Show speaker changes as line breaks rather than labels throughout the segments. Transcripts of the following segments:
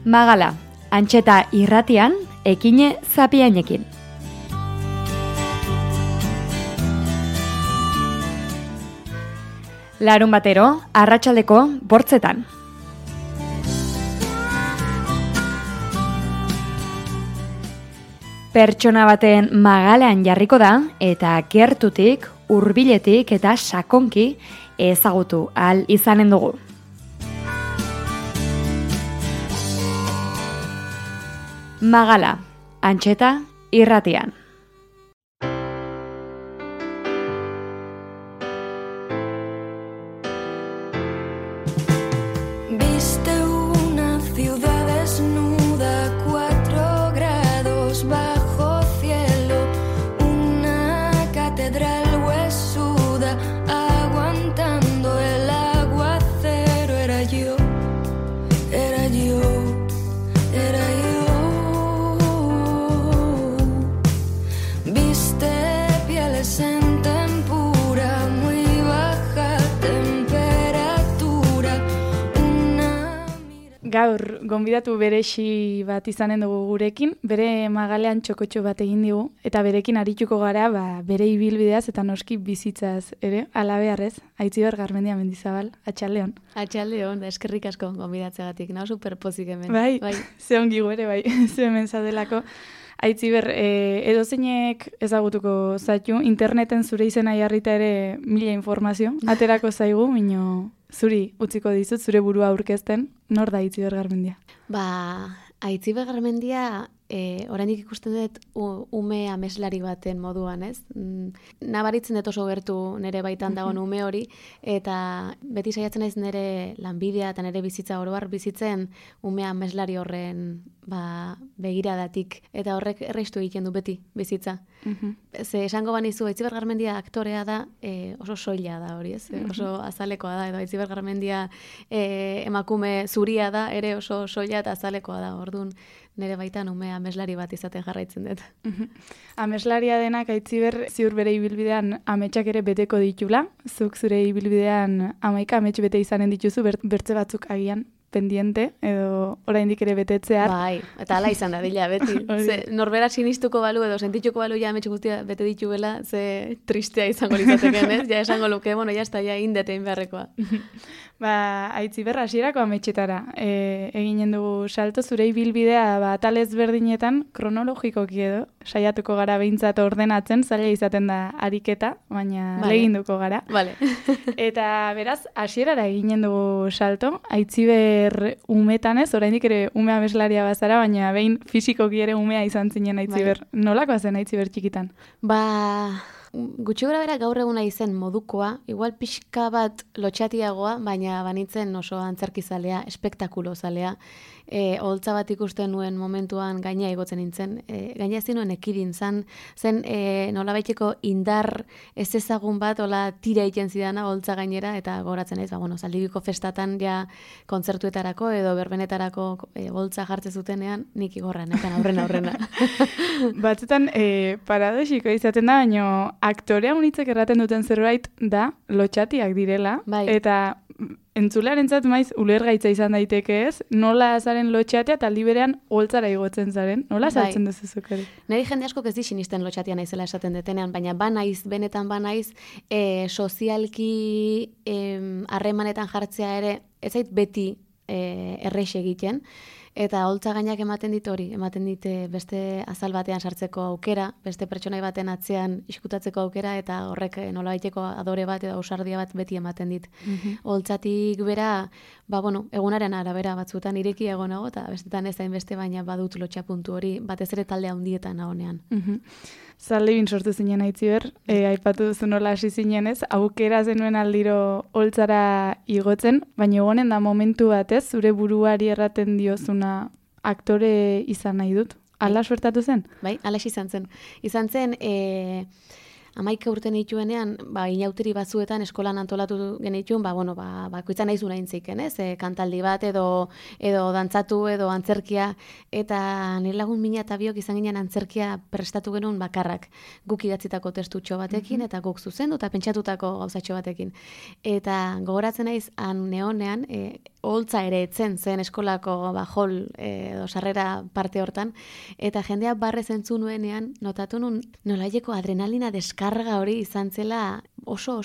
Magala, Antxeta irratian, ekine zapiainekin. Larun batero, arratsaldeko 8:00. Pertsona baten magalean jarriko da eta gertutik, hurbiletik eta sakonki ezagutu ahal izanen dugu. Magala, Antxeta irratian. Gaur, gonbidatu beresi bat izanen dugu gurekin, bere magalean txokotxo bat egin digu, eta berekin arituko gara bere ibilbideaz eta noski bizitzaz ere, alabearrez, Aitziber Garmendia Mendizabal, atxaldeon.
Atxaldeon, da eskerrik asko gonbidatzegatik, nao superpozik hemen.
Bai, ze ongi ere, bai, ze hemen zaudelako. Aitziber, edozeinek ezagutuko zaitu, interneten zure izena jarrita ere mila informazio, aterako zaigu, mino zuri utziko dizut, zure burua aurkezten, nor da Aitziber Garmendia?
Aitziber Garmendia, oraindik ikusten dut ume ameslari baten moduan, ez? Nabaritzen dut oso gertu nire baitan dagoen ume hori, eta beti saiatzen naiz nire lanbidea eta nire bizitza oroar bizitzen ume ameslari horren begiradatik, eta horrek erreistu egiten du beti bizitza. Ze esango banizu, Aitziber Garmendia aktorea da, oso soila da hori, ez? Oso azalekoa da, edo Aitziber Garmendia emakume zuria da, ere oso soila eta azalekoa da, orduan nire baitan ume ameslari bat izaten jarraitzen dut.
Ameslaria denak Aitziber ziur bere ibilbidean ametsak ere beteko ditula, zuk zure ibilbidean 11 amets bete izanen dituzu, bertze batzuk agian pendiente, edo oraindik ere betetzear.
Bai, eta hala izan da dila, beti. Ze, norbera sinistuko balu edo sentituko balu ja amets guztia bete dituela, ze tristea izango litzateken, ez? Ja esango luke, bueno, ja indetein beharrekoa.
Aitziber, hasierako ametsetara. Eginen dugu salto, zure ibilbidea atal ezberdinetan kronologikoki edo, saiatuko gara behintzat ordenatzen, zaila izaten da ariketa, baina leginduko gara.
Vale.
Eta beraz, hasierara eginen dugu salto, Aitziber umetan ez, oraindik ere ume ameslaria bazara, baina behin fisikoki ere umea izan zinen Aitziber. Nolakoa zen Aitziber txikitan?
Gutxi gora bera gaur eguna izen modukoa, igual pixka bat lotxatiagoa, baina banitzen oso antzerkizalea, espektakulozalea. Holtza bat ikusten nuen momentuan gaina igotzen nintzen. Gaina ezin nuen ekidin zen nolabaiteko indar ez ezagun bat, hola tira egiten zidana holtza gainera, eta goratzen naiz, Zaldibiko festatan ja kontzertuetarako edo berbenetarako holtza jartzen zutenean, nik igorra, nekan aurrena.
Batzutan paradoxiko izaten da, baina aktorea unitzek erraten duten zerbait da lotxatiak direla, eta entzulearentzat maiz ulergaitza izan daiteke ez, nola zaren lotxatea eta aldi berean holtzara igotzen zaren, nola saltzen duzu zuk ere?
Neri jende asko ez di sinisten lotxatia naizela esaten detenean, baina benetan banaiz, sozialki harremanetan jartzea ere, ez zait beti errex egiten, eta holtza gainak ematen dit beste azal batean sartzeko aukera, beste pertsonai baten atzean iskutatzeko aukera, eta horrek nolabaiteko adore bat edo ausardia bat beti ematen dit. Holtzatik bera, egunaren arabera batzuetan ireki egonago, eta bestetan ez hainbeste, baina badut lotxa puntu hori, batez ere talde handietan nagonean.
Zaldibin sortu zinen Aitziber, aipatu duzu nola hasi zinen ez, aukera zenuen aldiro holtzara igotzen, baina egonen da momentu batez, zure buruari erraten diozuna aktore izan nahi dut. Hala suertatu zen?
Bai, hala izan zen. Izan zen, 11 urte nituenean, inauteri batzuetan eskolan antolatu genituen, bakoitza nahi zuna intziken, ez? Kantaldi bat edo dantzatu edo antzerkia, eta nire lagun mina eta biok izan ginen antzerkia prestatu genuen bakarrak. Guk idatzitako testutxo batekin, eta guk zuzendu eta pentsatutako gauzatxo batekin. Eta gogoratzen naiz, neonean, oholtza ere etzen zen eskolako hall edo sarrera parte hortan, eta jendea barrez entzun nuenean, notatu nun nolaieko adrenalina deskarga hori izan zela oso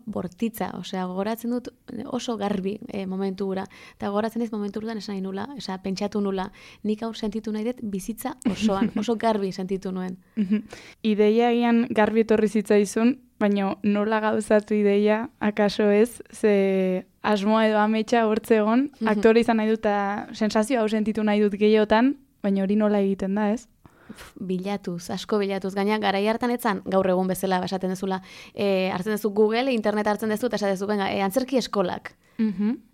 bortitza, osea, gogoratzen dut oso garbi momentu gura, eta gogoratzen ez momentu guran esan nahi nula, osea, pentsatu nula, nik hau sentitu nahi dut bizitza osoan, oso garbi sentitu nuen.
Ideia egian garbi etorri zitzaizun, baina nola gauzatu ideia, akaso ez, ze asmoa edo ametsa hortze egon, aktore izan nahi dut, eta sensazio hau sentitu nahi dut gehiotan, baina hori nola egiten da, ez?
Asko bilatuz. Gaina, garai hartan etzan, gaur egun bezala, esaten dezula, hartzen dezu Google, internet hartzen dezu, eta esaten dezu, venga, antzerki eskolak.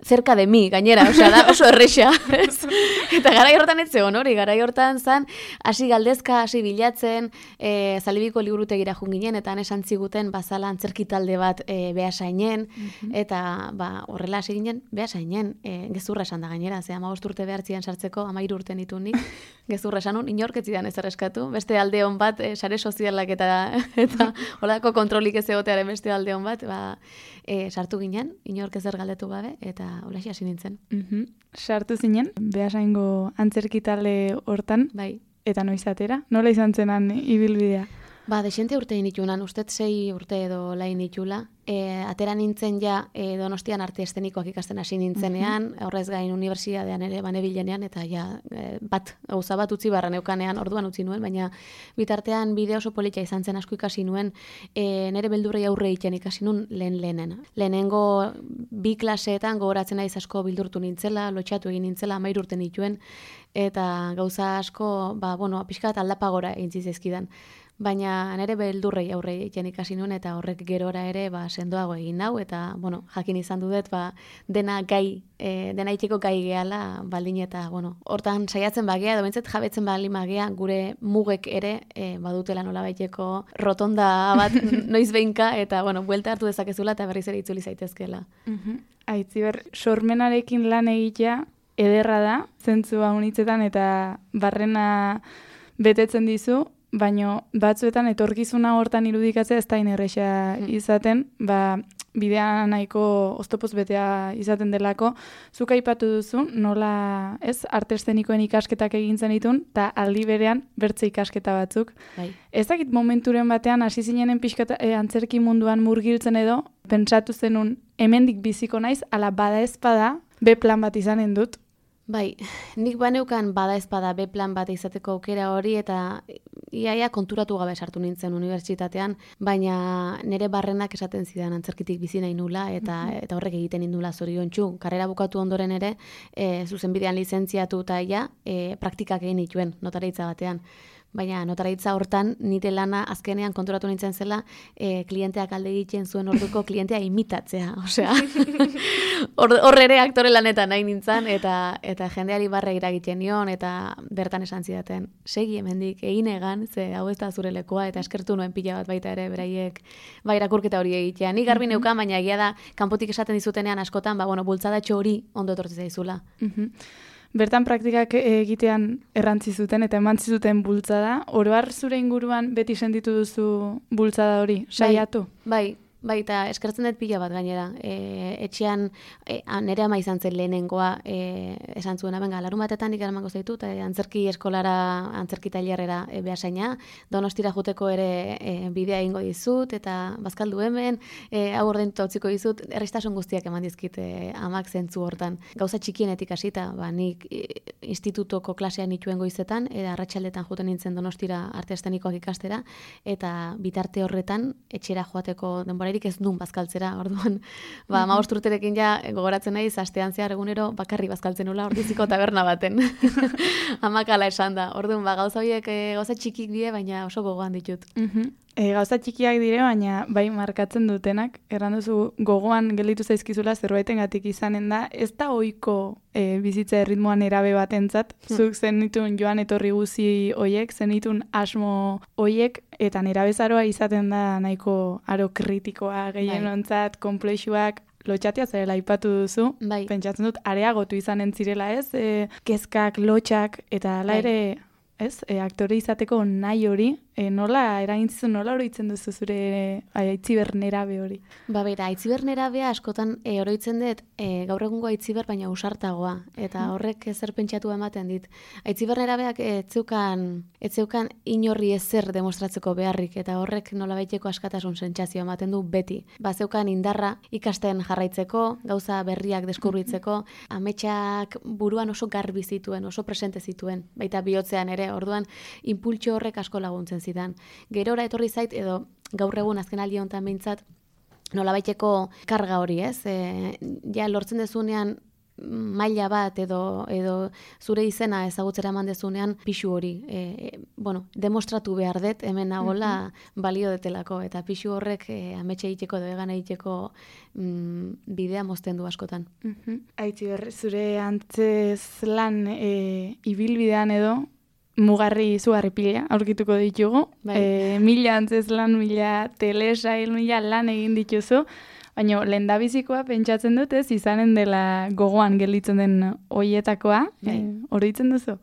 Cerca de mi, gainera, osea, da oso erresa. Eta garai hortan ez zegoen hori, garai hortan zan, hasi galdezka, hasi bilatzen, Zalibiko liburutegira junginen, eta esan ziguten bazala antzerki talde bat Beasainen, eta horrela hasi ginen, Beasainen, gezurra esan da gainera, ze 15 urte behartzian sartzeko, 13 urte nitunik, gezurra esan nun, inorketzidan ez erreskatu, beste alde hon bat, sare sozialak eta holako kontrolik ez egotearen beste alde hon bat, sartu ginen, inork ezer galdetu gabe, eta holaxe hasi nintzen.
Sartu zinen, Beasaingo antzerki talde hortan,
bai.
Eta noiz atera? Nola izan zenan ibilbidea?
Dexente urte initunan, ustez 6 urte edo lain itula. Atera nintzen ja Donostian arte estenikoak ikasten hasi nintzenean, horrez gain unibertsitatean ere banebilenean, eta ja gauza bat utzi barra neukanean, orduan utzi nuen, baina bitartean bideo oso polita izan zen asko ikasi nuen, nere beldurrei aurre egiten ikasi nuen lehen. Lehenengo 2 klaseetan gogoratzen naiz asko bildurtu nintzela, lotxatu egin nintzela, 13 urte nituen, eta gauza asko, pixkat aldapagora egin zizkidan. Baina nere beldurrei aurre egiten ikasi nuen, eta horrek gerora ere sendoago egin nau, eta jakin izan dudet dena itxeko gai gehala baldin, eta hortan saiatzen bagea, edo bintzat jabetzen baldin bagea, gure mugek ere badutela nola baiteko rotonda bat noiz behinka, eta buelta hartu dezakezula eta berriz ere itzuli zaitezkela.
Aitziber, sormenarekin lan egitea ederra da, zentzua unitzetan, eta barrena betetzen dizu, baina batzuetan etorkizuna hortan irudikatzea ez da inerresa izaten, bidea nahiko oztopoz betea izaten delako. Zuk aipatu duzu, nola arte eszenikoen ikasketak egin zenitun, eta aldi berean bertze ikasketa batzuk.
Bai.
Ez dakit momenturen batean hasi zinenen pixka antzerki munduan murgiltzen edo, pentsatu zenun hemendik biziko naiz, ala bada ezpada, B plan bat izanen dut.
Bai, nik baneukan bada ezpada B plan bat izateko aukera hori, eta iaia konturatu gabe sartu nintzen unibertsitatean, baina nire barrenak esaten zidan antzerkitik bizi nahi nula, eta horrek egiten indula zoriontsu. Karrera bukatu ondoren ere, zuzenbidean lizentziatu eta praktikak egin dituen notaritza batean. Baina notaritza hortan nire lana azkenean konturatu nintzen zela klienteak alde egiten zuen orduko klientea imitatzea. Osea, hor ere aktore lanetan nahi nintzen, eta jendeari barre iragiten nion, eta bertan esan zidaten, segi hemendik egin egan, ze hau ez da zure lekoa, eta eskertu nuen pila bat baita ere beraiek irakurketa hori egitea. Nik garbi neukan, baina egia da, kanpotik esaten dizutenean askotan, bultzadatxo hori ondo etortzi zaizula.
Bertan praktikak egitean errantzi zuten eta emantzi zuten bultzada. Oro har zure inguruan beti sentitu duzu bultzada hori, saiatu?
Bai, eta eskertzen dut pila bat gainera. Etxean, nire ama izan zen lehenengoa, esan zuena, larunbatetan nik eramango zaitu, eta antzerki eskolara, antzerki tailerrera Beasaina, Donostira joteko ere bidea egingo dizut, eta bazkaldu hemen, hau ordainduta utziko dizut, errestasun guztiak eman dizkit amak zentzu hortan. Gauza txikienetik hasita, nik institutoko klasean nituen goizetan, arratsaldetan joten nintzen Donostira arte eszenikoak ikastera, eta bitarte horretan etxera joateko denbora ez nun bazkaltzera, orduan, 15 urterekin gogoratzen naiz, astean zehar egunero bakarri bazkaltzen nula Ordiziko taberna baten. Amakala esan da. Orduan, gauza horiek gauza txikik die, baina oso gogoan ditut.
Gauza txikiak dire, baina bai markatzen dutenak, erran duzu gogoan gelditu zaizkizula zerbaitengatik izanen da, ez da ohiko bizitza erritmoan erabe batentzat, zuk zenitun joan etorri guzi hoiek, zenitun asmo hoiek, eta nerabezaroa izaten da nahiko aro kritikoa gehienontzat, komplexuak, lotxatia zarela aipatu duzu, pentsatzen dut areagotu izanen zirela kezkak, lotxak, eta ala ere, aktore izateko nahi hori, nola eragintzen, nola oroitzen duzu zure Aitziber nerabe hori?
Bera, Aitziber nerabea askotan oroitzen dut gaur egungo Aitziber baina usartagoa, eta horrek zer pentsatu ematen dit. Aitziber nerabeak ez zeukan inorri ezer demostratzeko beharrik, eta horrek nolabaiteko askatasun sentsazio ematen du beti. Zeukan indarra ikasten jarraitzeko, gauza berriak deskubritzeko, ametsak buruan oso garbi zituen, oso presente zituen, baita bihotzean ere, orduan impultxo horrek asko laguntzen zidan. Gerora etorri zait, edo gaur egun azken aldi honetan behintzat, nolabaiteko karga hori, ez? Ja, lortzen dezunean maila bat edo zure izena ezagutzera eman dezunean pixu hori. Demostratu behar dut, hemen nagola balio detelako, eta pixu horrek ametxe egiteko edo egan egiteko bidea mozten du askotan.
Aitziber, zure antzez lan ibilbidean edo, mugarri izugarri pila, aurkituko ditugu. Mila antzez lan, mila telesail, mila lan egin dituzu, baina lehendabizikoa pentsatzen dut ez, izanen dela gogoan gelditzen den hoietakoa, oroitzen duzu?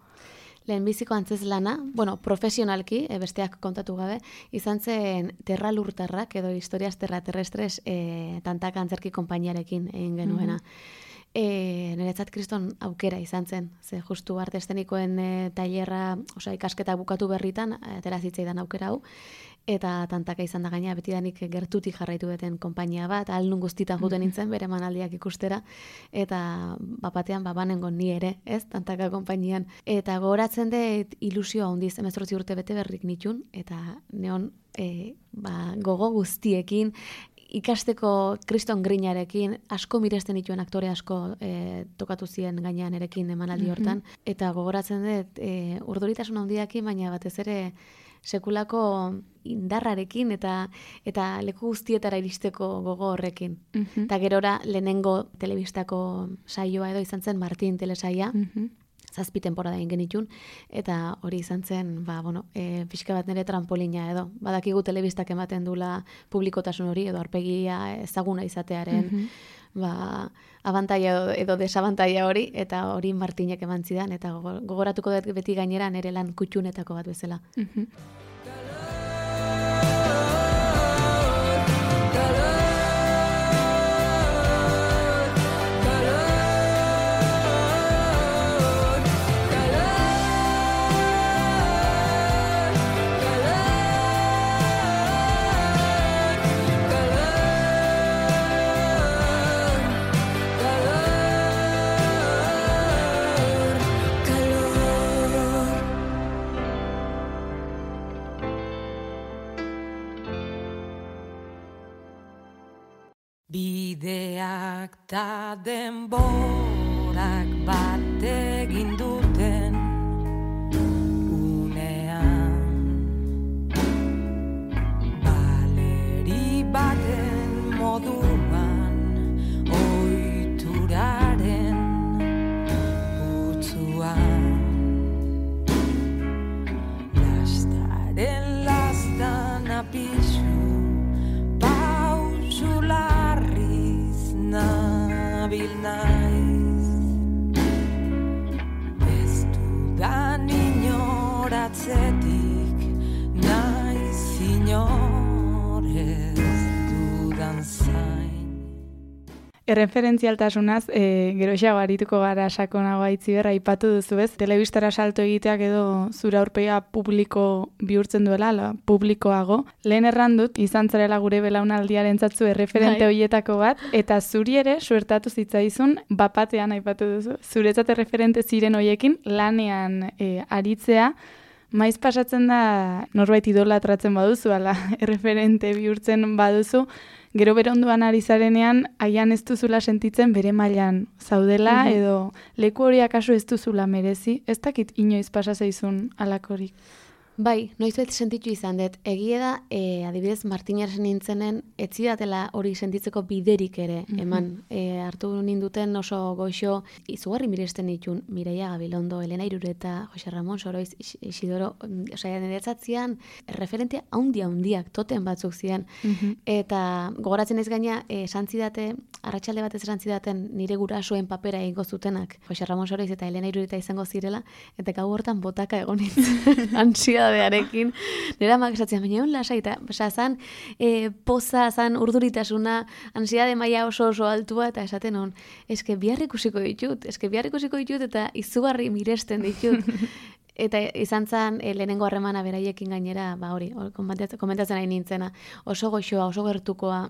Lehenbiziko antzez lana, profesionalki, besteak kontatu gabe, izan zen Terra Lurtarrak edo Historias Terrestres tantaka antzerki konpainiarekin egin genuena. Niretzat kriston aukera izan zen, ze justu arte eszenikoen tailerra, ikasketa bukatu berritan, atera zitzaidan aukera hau, eta tantaka izan da gaina, betidanik gertutik jarraitu duten konpainia bat, alnun guztitan juten nintzen, bere manaldiak ikustera, eta bapatean banengo ni ere, ez, tantaka konpainian. Eta gogoratzen dut ilusioa handiz, 18 urte bete berrik nitun, eta neon gogo guztiekin, ikasteko kriston grinarekin, asko miresten dituen aktore asko tokatu ziren gainean erekin emanaldi hortan, eta gogoratzen dut urduritasun handiakin, baina batez ere sekulako indarrarekin eta leku guztietara iristeko gogo horrekin. Eta gerora lehenengo telebistako saioa edo izan zen Martin telesaia, 7 tenporada egin genitun, eta hori izan zen, pixka bat nire trampolina edo. Badakigu telebistak ematen dula publikotasun hori, edo arpegia ezaguna izatearen abantaia edo desabantaia hori, eta hori Martinek eman zidan, eta gogoratuko dut beti gainera nire lan kutxunetako bat bezala.
Bideak ta denborak bat egin duten unean, baleri baten moduan ohituraren putzuan, lastaren lastan apisu nabil naiz, ez dudan inoratzetik, naiz inorez dudan zain.
Erreferentzialtasunaz, geroxeago arituko gara sakonago Aitziber, aipatu duzu ez, telebistara salto egiteak edo zure aurpegia publiko bihurtzen duela, publikoago. Lehen errandut, izan zarela gure belaunaldiaren zatzu erreferente horietako bat, eta zuri ere suertatu zitzaizun, bapatean aipatu duzu, zuretzat erreferente ziren horiekin lanean aritzea, maiz pasatzen da norbait idolatratzen baduzu, ala erreferente bihurtzen baduzu, gero bere onduan ari zarenean, haian ez duzula sentitzen bere mailan zaudela, edo leku hori akaso ez duzula merezi, ez dakit inoiz pasa zaizun alakorik.
Bai, noizbait sentitu izan dut. Egie da, adibidez, Martinaren nintzenen, etzidatela hori sentitzeko biderik ere, eman. Hartu ninduten oso goxo, izugarri miresten ditun, Mireia Gabilondo, Elena Irureta, Jose Ramon Soroiz, Isidoro, niretzatzean, referentea handiak, toten batzuk zian. Eta gogoratzen ez gaina, esantzidate, arratsalde batez esantzidaten nire gurasoen papera egingo zutenak, Jose Ramon Soroiz eta Elena Irureta izango zirela, eta gau hortan botaka egon nintzen, ansia antsiedadearekin. Nera amak esatzen, baina hon lasai, eta zan poza, zan urduritasuna, antsiedade maila oso altua, eta esaten hon, eske bihar ikusiko ditut, eta izugarri miresten ditut. Eta izan zen lehenengo harremana beraiekin gainera, hori, komentatzen nahi nintzena, oso goxoa, oso gertukoa,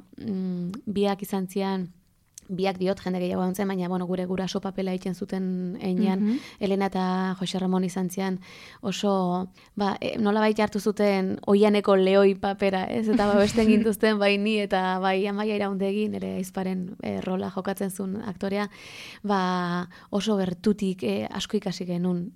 biak izan zian, biak diot jende gehiago egon zen, baina gure guraso papela egiten zuten einean, Elena eta Jose Ramon izan zian, oso, nola baita hartu zuten oianeko lehoi papera, ez? Eta besten gintuzten bai ni eta bai Amaia Iraundegi, nire aizparen rola jokatzen zuen aktorea, oso gertutik asko ikasi genuen.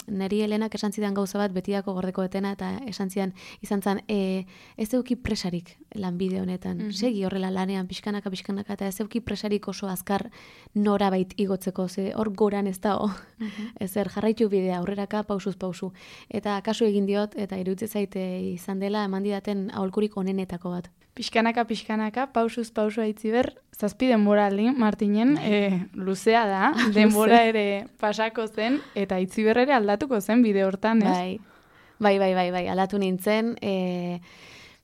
Neri Elenak esan zidan gauza bat betiako gordeko etena, eta esan zidan, izan zen, ez euki presarik lanbide honetan. Segi horrela lanean, pixkanaka, eta ez euki presarik oso azkar norabait igotzeko, ze hor goran ez dago. Ezer, jarraitu bidea, aurreraka, pausuz pausu. Eta kasu egin diot, eta iruditzen zaite izan dela, eman didaten aholkurik onenetako bat.
Pixkanaka, pausuz pausu Aitziber, 7 denbora aldi, Martinen, luzea da, denbora ere pasako zen, eta Aitziber ere aldatuko zen bide hortan, ez?
Bai, aldatu nintzen,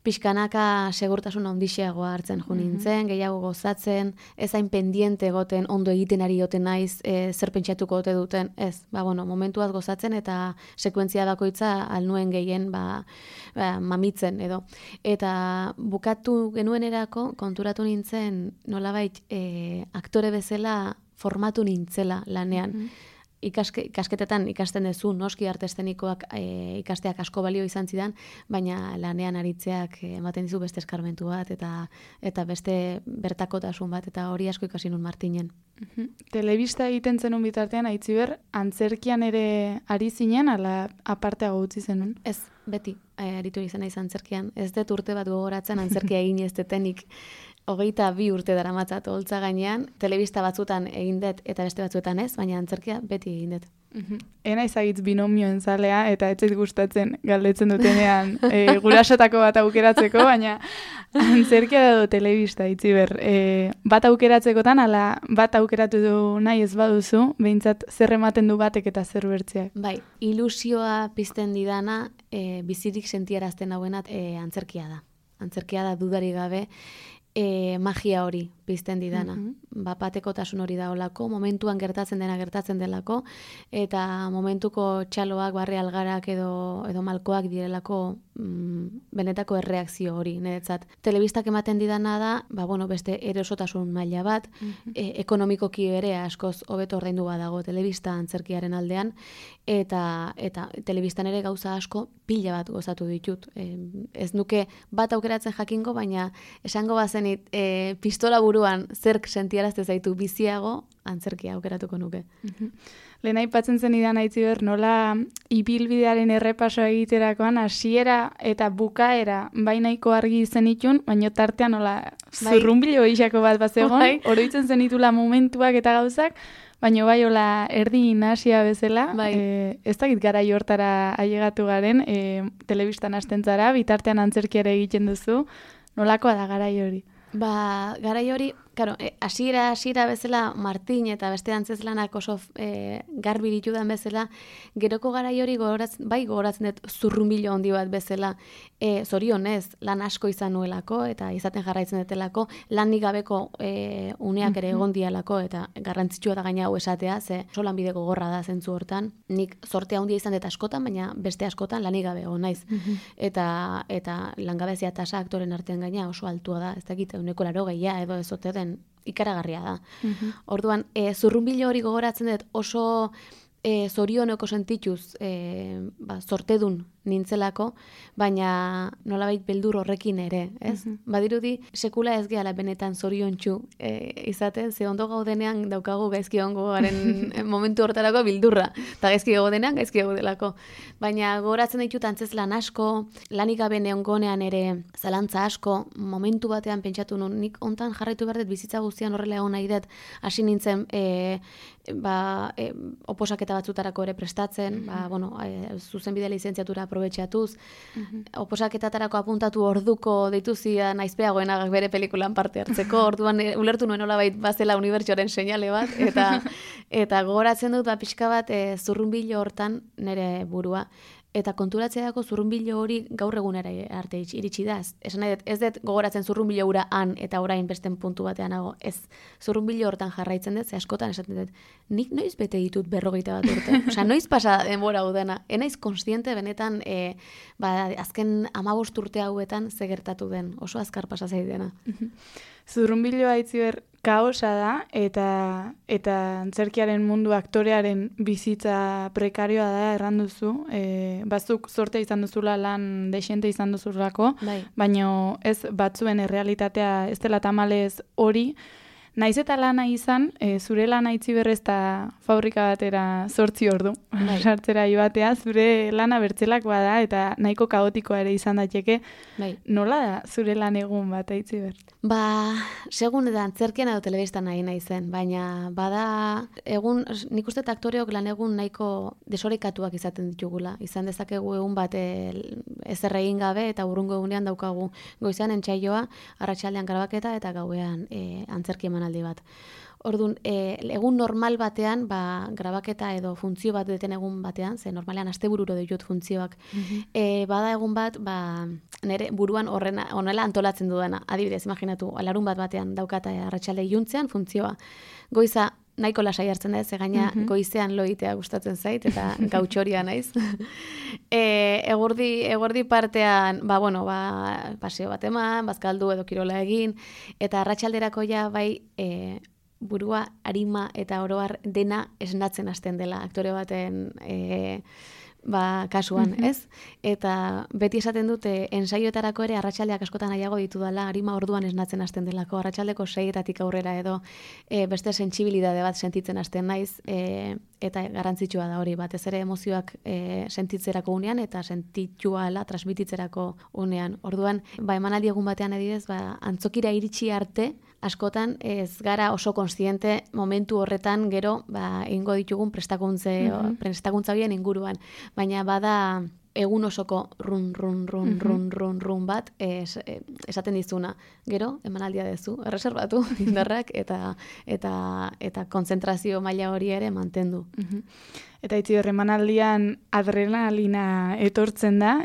pixkanaka segurtasun ondixeagoa hartzen jo nintzen, gehiago gozatzen, ez hain pendiente egoten, ondo egiten ari oten naiz, zer pentsatuko ote duten, ez, momentuaz gozatzen eta sekuentzia bakoitza alnuen gehien mamitzen edo. Eta bukatu genuenerako konturatu nintzen nolabait aktore bezala formatu nintzela lanean. Ikasketetan ikasten duzu, noski arte eszenikoak ikasteak asko balio izan zidan, baina lanean aritzeak ematen dizu beste eskarmentu bat eta beste bertakotasun bat, eta hori asko ikasi nun Martinen.
Telebista egiten zenun bitartean, Aitziber, antzerkian ere ari zinen, ala aparteago utzi zenun?
Ez, beti aritu izan naiz antzerkian. Ez dut urte bat gogoratzen antzerkia egin ez detenik. 22 urte daramatzat holtza gainean, telebista batzutan egin dut eta beste batzuetan ez, baina antzerkia beti egin dut.
Ena izagitz binomioen zalea, eta ez zait gustatzen galdetzen dutenean gurasotako bat aukeratzeko, baina antzerkia da telebista, Aitziber. Bat aukeratzekotan, ala bat aukeratu du nahi ez baduzu, behintzat zer ematen du batek eta zer bertzeak.
Bai, ilusioa pizten didana, bizirik sentiarazten hauenat antzerkia da. Antzerkia da dudari gabe, magia hori pizten didana. Batekotasun hori da olako, momentuan gertatzen delako, eta momentuko txaloak, barre algarak edo malkoak direlako benetako erreakzio hori, niretzat. Telebistak ematen didana da, beste erosotasun maila bat, ekonomikoki ere askoz hobeto ordaindu badago telebista antzerkiaren aldean, eta telebistan ere gauza asko pila bat gozatu ditut. Ez nuke bat aukeratzen jakingo, baina esango bazenit pistola buruan zerk sentiarazte zaitu biziago, antzerkia aukeratuko nuke.
Lehen aipatzen zenidan Aitziber, nola ibilbidearen errepaso egiterakoan hasiera eta bukaera bainaiko argi zenitun, baina tartean nola zurrunbilo gixako bat bazegon, oroitzen zenitula momentuak eta gauzak, baina hola erdi nasia bezala, ez dakit garai hortara ailegatu garen, telebistan hasten zara, bitartean antzerkiara egiten duzu, nolakoa da garai hori?
Garai hori, hasiera bezala Martin eta beste antzezlanak oso garbi ditudan bezala, geroko garai hori gogoratzen dut zurrunbilo handi bat bezala, zorionez, lan asko izan nuelako eta izaten jarraitzen dutelako, lanik gabeko uneak ere egon dialako, eta garrantzitsua da gaina hau esatea, ze oso lanbide gogorra da zentzu hortan. Nik sortea handia izan dut askotan, baina beste askotan lanik gabe egon naiz. Eta langabezia tasa aktoren artean gaina oso altua da, ez dakit 80% edo ez ote den, ikaragarria da. Orduan, zurrunbilo hori gogoratzen dut oso zorioneko sentituz sortedun nintzelako, baina nolabait beldur horrekin ere, ez? Badirudi, sekula ez gehala benetan zoriontsu izaten, ze ondo gaudenean daukagu gaizki ongo garen momentu hortarako bildurra, eta gaizki gaudenean gaizki gaudelako. Baina gogoratzen ditut antzezlan asko, lanik gabe neongonean ere zalantza asko, momentu batean pentsatu nun, nik ontan jarraitu behar dut bizitza guztian horrela egon nahi dut, hasi nintzen oposaketa batzutarako ere prestatzen, zuzenbide lizentziatura aprobetxatuz, oposaketarako apuntatu orduko dituzia naizpeagoenak bere pelikulan parte hartzeko, orduan ulertu nuen nolabait bazela unibertsioaren seinale bat, eta gogoratzen dut pixka bat zurrunbilo hortan nire burua, eta konturatzeako zurrunbilo hori gaur egunera arte iritsi da. Esan nahi dut, ez dut gogoratzen zurrunbilo hura han eta orain besten puntu batean nago. Ez, zurrunbilo hortan jarraitzen dut, ze askotan esaten dut, nik noiz bete ditut 41 urte. Osea, noiz pasa denbora hau dena. Enaiz kontziente benetan azken 15 urte hauetan ze gertatu den. Oso azkar pasa zaidena.
Zurrunbiloa Aitziber kaosa da eta antzerkiaren mundu aktorearen bizitza prekarioa da erranduzu. Bazuk sorte izan duzula lan dexente izan duzulako, baina ez batzuen errealitatea ez dela tamalez hori. Naiz eta lana izan, zure lana Aitziber ez da fabrika batera 8 ordu. Sartzera ibatea, zure lana bertzelakoa da eta nahiko kaotikoa ere izan daiteke. Nola da zure lan egun bat Aitziber?
Segun da antzerkian edo telebistan nahi naizen, baina bada egun, nik uste aktoreok lan egun nahiko desorekatuak izaten ditugula. Izan dezakegu egun bat ezer egin gabe eta urrungo egunean daukagu goizean entsaioa, arratsaldean grabaketa eta gauean antzerki emanaldi bat. Orduan, egun normal batean, grabaketa edo funtzio bat deten egun batean, ze normalean astebururo ditut funtzioak, bada egun bat, nire buruan honela antolatzen dudana. Adibidez, imaginatu, larun bat batean daukata arratsalde iluntzean funtzioa. Goiza nahiko lasai hartzen da, ze gaina goizean loitea gustatzen zait, eta gautxoria naiz. Eguerdi partean, paseo bat eman, bazkaldu edo kirola egin, eta arratsalderako ja burua, arima eta oroar dena esnatzen hasten dela aktore baten kasuan, ez? Eta beti esaten dute ensaioetarako ere arratsaldeak askotan nahiago ditudala, arima orduan esnatzen hasten delako, arratsaldeko 6 aurrera edo beste sentsibilitate bat sentitzen hasten naiz, eta garrantzitsua da hori, batez ere emozioak sentitzerako unean eta sentituala transmititzerako unean. Orduan, emanaldi egun batean adibidez, antzokira iritsi arte, askotan ez gara oso kontziente momentu horretan gero egingo ditugun prestakuntza horien inguruan. Baina bada egun osoko run bat esaten dizuna. Gero, emanaldia dezu, erreserbatu indarrak eta kontzentrazio maila hori ere mantendu.
Eta Aitziber, emanaldian adrenalina etortzen da,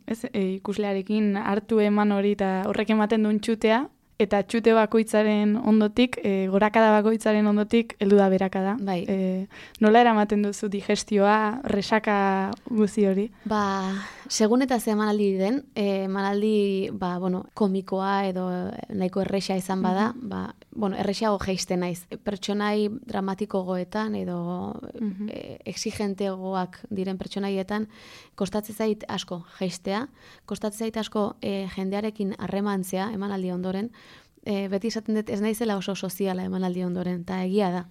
ikuslearekin hartu eman hori eta horrek ematen duen txutea, eta txute bakoitzaren ondotik, gorakada bakoitzaren ondotik, heldu da berakada. Nola eramaten duzu digestioa, resaka guzi hori?
Segun eta ze emanaldi den, emanaldi komikoa edo nahiko erresa izan bada, erresago jeiste naiz. Pertsonai dramatiko goetan edo exigentegoak diren pertsonaietan, kostatzen zait asko jeistea, kostatzen zait asko jendearekin harremantzea emanaldi ondoren, beti esaten dut ez naizela oso soziala emanaldi ondoren, eta egia da.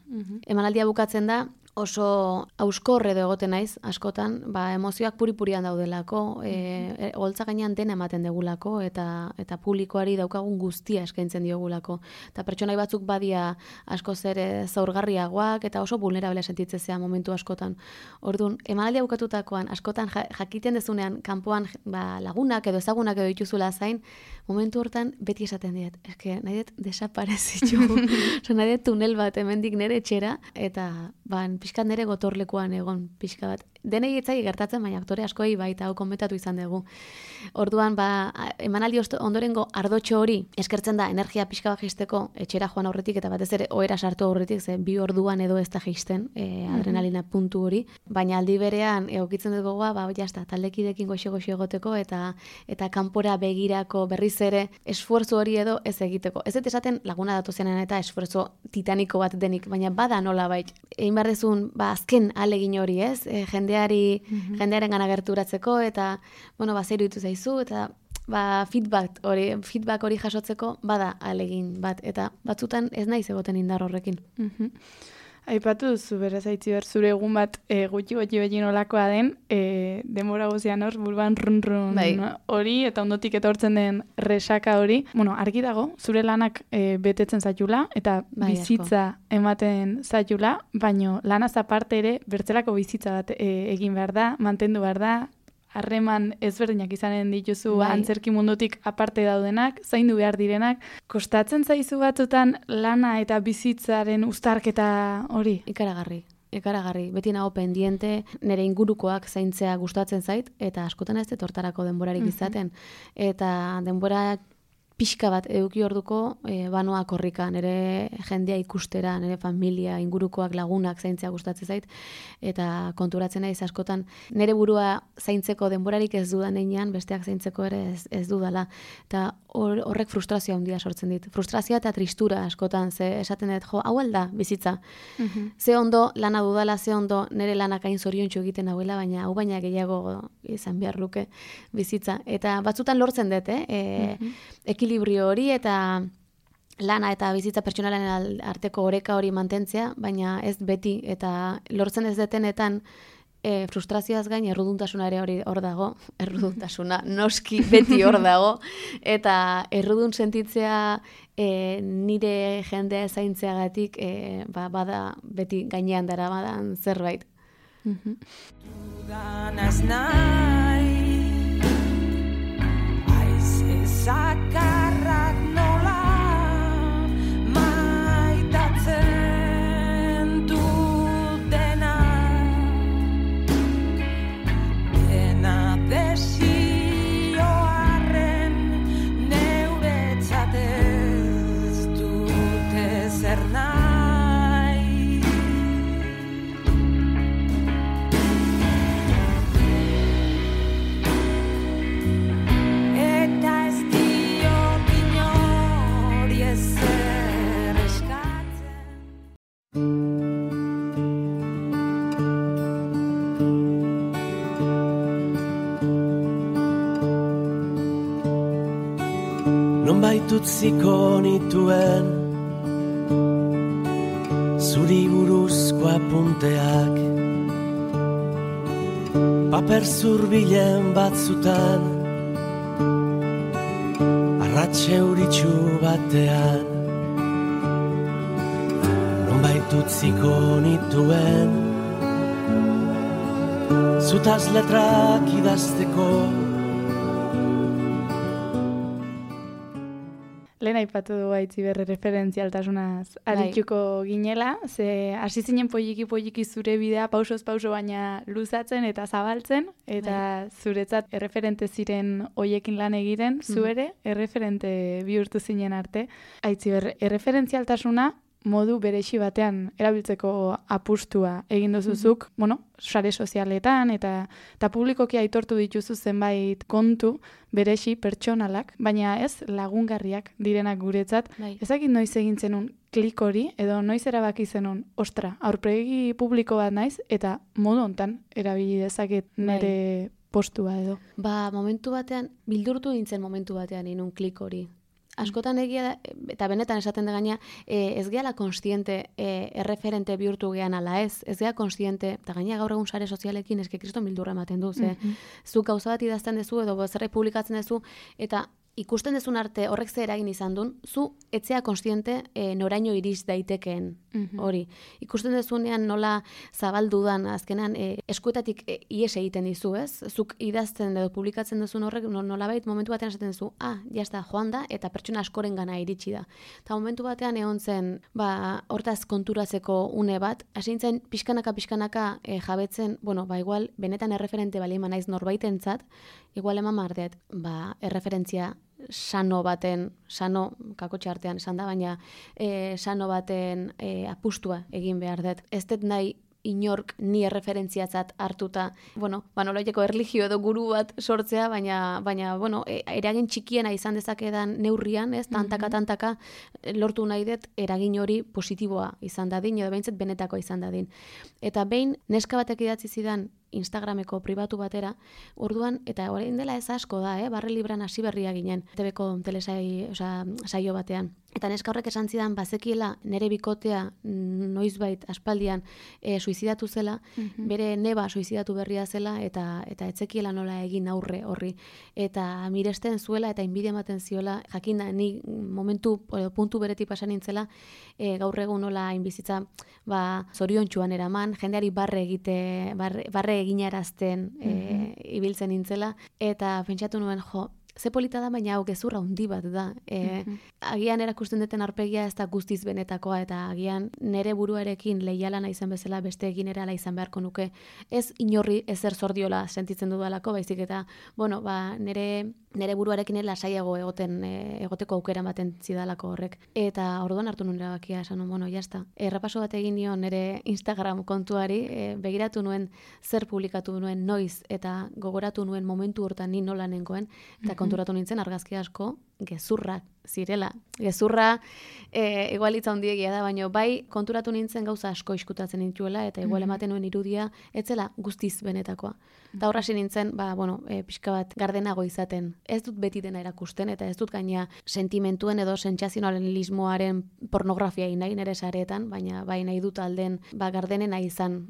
Emanaldia bukatzen da, oso auskor edo egoten naiz, askotan, emozioak puri-purian daudelako, holtza gainean dena ematen degulako, eta publikoari daukagun guztia eskaintzen diogulako. Eta pertsonai batzuk badia askoz ere zaurgarriagoak, eta oso vulnerable sentitzea momentu askotan. Orduan, emanaldia bukatutakoan, askotan jakiten dezunean, kanpoan lagunak edo ezagunak edo dituzula zain, momentu hortan beti esaten diet, nahi dut desaparezitu, nahi dut tunel bat hemendik nire etxera, eta pixkat nire gotorlekuan egon pixka bat. Denei etzai gertatzen, baina aktore askoi baita hau konbetatu izan dugu. Orduan, emanaldi ondorengo ardotxo hori eskertzen da energia pixka bat jeisteko etxera joan aurretik eta batez ere ohera sartu aurretik, ze 2 orduan edo ez da jeisten adrenalina puntu hori. Baina aldi berean egokitzen dut gogoa, jazta, taldekidekin goxe-goxe egoteko eta kanpora begirako berriz ere esfuerzo hori edo ez egiteko. Ez dut esaten laguna datozenan eta esfuerzo titaniko bat denik, baina bada nola bait. Egin behar dezun, azken alegin hori ez, jendearen gana gerturatzeko eta, zer iruditu zaizu eta feedback hori jasotzeko bada alegin bat eta batzutan ez naiz egoten indar horrekin.
Aipatu duzu, beraz Aitziber, zure egun bat gutxi beti nolakoa den, denbora guzian hor, buruan run hori, eta ondotik etortzen den resaka hori. Argi dago, zure lanak betetzen zaitula, eta bizitza ematen zaitula, baino lanaz aparte ere, bertzelako bizitza bat egin behar da, mantendu behar da, harreman ezberdinak izanen dituzu antzerki mundutik aparte daudenak, zaindu behar direnak. Kostatzen zaizu batzutan lana eta bizitzaren uztarketa hori?
Ikaragarri. Ekaragarri, beti nago pendiente, nire ingurukoak zaintzea gustatzen zait, eta askotan ez dut hortarako denborarik izaten. Eta denbora pixka bat eduki orduko banoa korrika, nire jendea ikustera, nire familia, ingurukoak, lagunak zaintzea gustatzen zait, eta konturatzen naiz askotan, nire burua zaintzeko denborarik ez dudan einean, besteak zaintzeko ere ez dudala. Eta horrek frustrazioa handia sortzen dit. Frustrazioa eta tristura askotan, ze esaten dut, hau alda bizitza. Ze ondo lana dudala, ze ondo nire lanak hain zoriontsu egiten hauela, baina hau baina gehiago izan behar luke bizitza. Eta batzutan lortzen dut, ekilibrio hori eta lana eta bizitza pertsonalaren arteko oreka hori mantentzea, baina ez beti, eta lortzen ez detenetan frustrazioaz gain erruduntasuna ere hor dago, erruduntasuna noski beti hor dago, eta errudun sentitzea nire jendea zaintzeagatik bada beti gainean dara badan zerbait.
Dudanaz nahi, aize zakarrak nola maitatzen dutena, dena desioarren neuretzat ez dute zer nahi. Eta ez diot inori ezer eskatzen.
Nonbait utziko nituen zuri buruzko apunteak, paper zurbilen batzutan, arratxe euritsu batean. Nonbait utziko nituen zutaz letrak idazteko.
Lehen aipatu du Aitziber referentzialtasunaz arituko ginela, ze hasi zinen poliki zure bidea pausoz pauso baina luzatzen eta zabaltzen, eta zuretzat erreferente ziren hoiekin lan egiten, zu ere erreferente bihurtu zinen arte. Aitziber, erreferentzialtasuna modu berexi batean erabiltzeko apustua egin duzuzuk, sare sozialetan eta publikoki aitortu dituzu zenbait kontu berexi pertsonalak, baina ez lagungarriak direnak guretzat. Ezakit noiz egin zenun klik hori, edo noiz erabaki zenun, ostra, aurpegi publiko bat naiz, eta modu hontan erabili dezaket nire postua edo.
Momentu batean, bildurtu nintzen momentu batean inun klik hori. Askotan egia da, eta benetan esaten da gaina, ez gehala konstiente erreferente bihurtu gehan ala ez geha konstiente, eta gaina gaur egun sare sozialekin eske kriston bildurra ematen du, zu gauza bat idazten duzu edo zerbait publikatzen duzu, eta ikusten dezun arte horrek ze eragin izan duen, zu etzea konstiente noraino iriz daitekeen hori. Ikusten dezunean nola zabaldudan azkenan eskuetatik ies egiten dizu, ez? Zuk idazten edo publikatzen duzun horrek nolabait momentu batean esaten duzu, jazta, joan da, eta pertsona askoren gana iritsi da. Eta momentu batean egon zen, hortaz konturatzeko une bat, hasi nintzen pixkanaka jabetzen, igual, benetan erreferente bali eman naiz norbaitentzat, igual eman mardeat, erreferentzia sano baten, kakotxe artean esan da, baina sano baten apustua egin behar dut. Ez dut nahi inork ni erreferentziatzat hartuta, nolaiteko erlijio edo guru bat sortzea, baina eragin txikiena izan dezakedan neurrian, ez, tantaka lortu nahi dut eragin hori positiboa izan dadin, edo behintzat benetako izan dadin. Eta behin neska batek idatzi zidan Instagrameko pribatu batera, orduan, eta orain dela ez asko da, barre libran hasi berria ginen, TV-ko saio batean. Eta neska horrek esan zidan, bazekiela nere bikotea noizbait aspaldian suizidatu zela, bere neba suizidatu berria zela, eta etzekiela nola egin aurre horri. Eta miresten zuela eta inbidia ematen ziola, jakinda, ni momentu, puntu beretik pasan nintzela, gaur egun nola inbizitza zoriontsuan eraman, jendeari barre eginarazten ibiltzen nintzela, eta pentsatu nuen, ze polita da, baina hau gezurra handi bat da. Agian erakusten duten aurpegia ez da guztiz benetakoa, eta agian nere buruarekin leiala naizen bezala besteekin ere ala izan beharko nuke. Ez inorri ezer zordiola sentitzen dudalako, baizik eta, bueno, nere buruarekin lasaiago egoteko aukera ematen zidalako horrek. Eta orduan hartu nuen erabakia, esan nuen, bueno, jazta. Errepaso bat egin nion nere Instagram kontuari, begiratu nuen zer publikatu nuen noiz, eta gogoratu nuen momentu hortan ni nola nengoen, eta konturatu nintzen argazki asko gezurrak zirela. Gezurra igual hitza handiegia da, baina bai konturatu nintzen gauza asko iskutatzen nituela, eta igual ematen nuen irudia etzela guztiz benetakoa. Eta horra nintzen, pixka bat gardenago izaten. Ez dut beti dena erakusten, eta ez dut gaina sentimentuen edo sentsazionalismoaren pornografia nahi nere sareetan, baina bai nahi dut alden gardenena izan,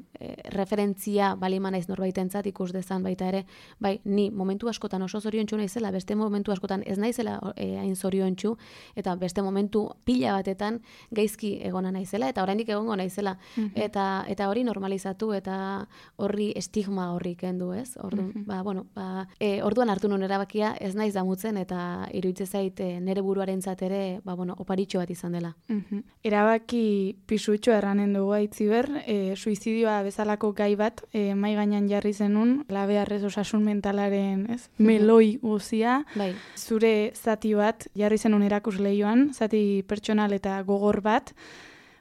referentzia balima naiz norbaitentzat ikus dezan baita ere, bai ni momentu askotan oso zoriontsu naizela, beste momentu askotan ez naizela hain zoriontsu, eta beste momentu pila batetan gaizki egona naizela, eta oraindik egongo naizela, eta hori normalizatu, eta horri estigma horri kendu, ez? Orduan hartu nuen erabakia ez naiz damutzen, eta iruditzen zait nere buruarentzat ere, oparitxo bat izan dela.
Erabaki pisutxo erranen dugu Aitziber, suizidioa bezalako gai bat, mai gainean jarri zenun, labearrez osasun mentalaren, ez? Meloi guzia, zure zati bat jarri zenun erakusleioan, zati pertsonal eta gogor bat,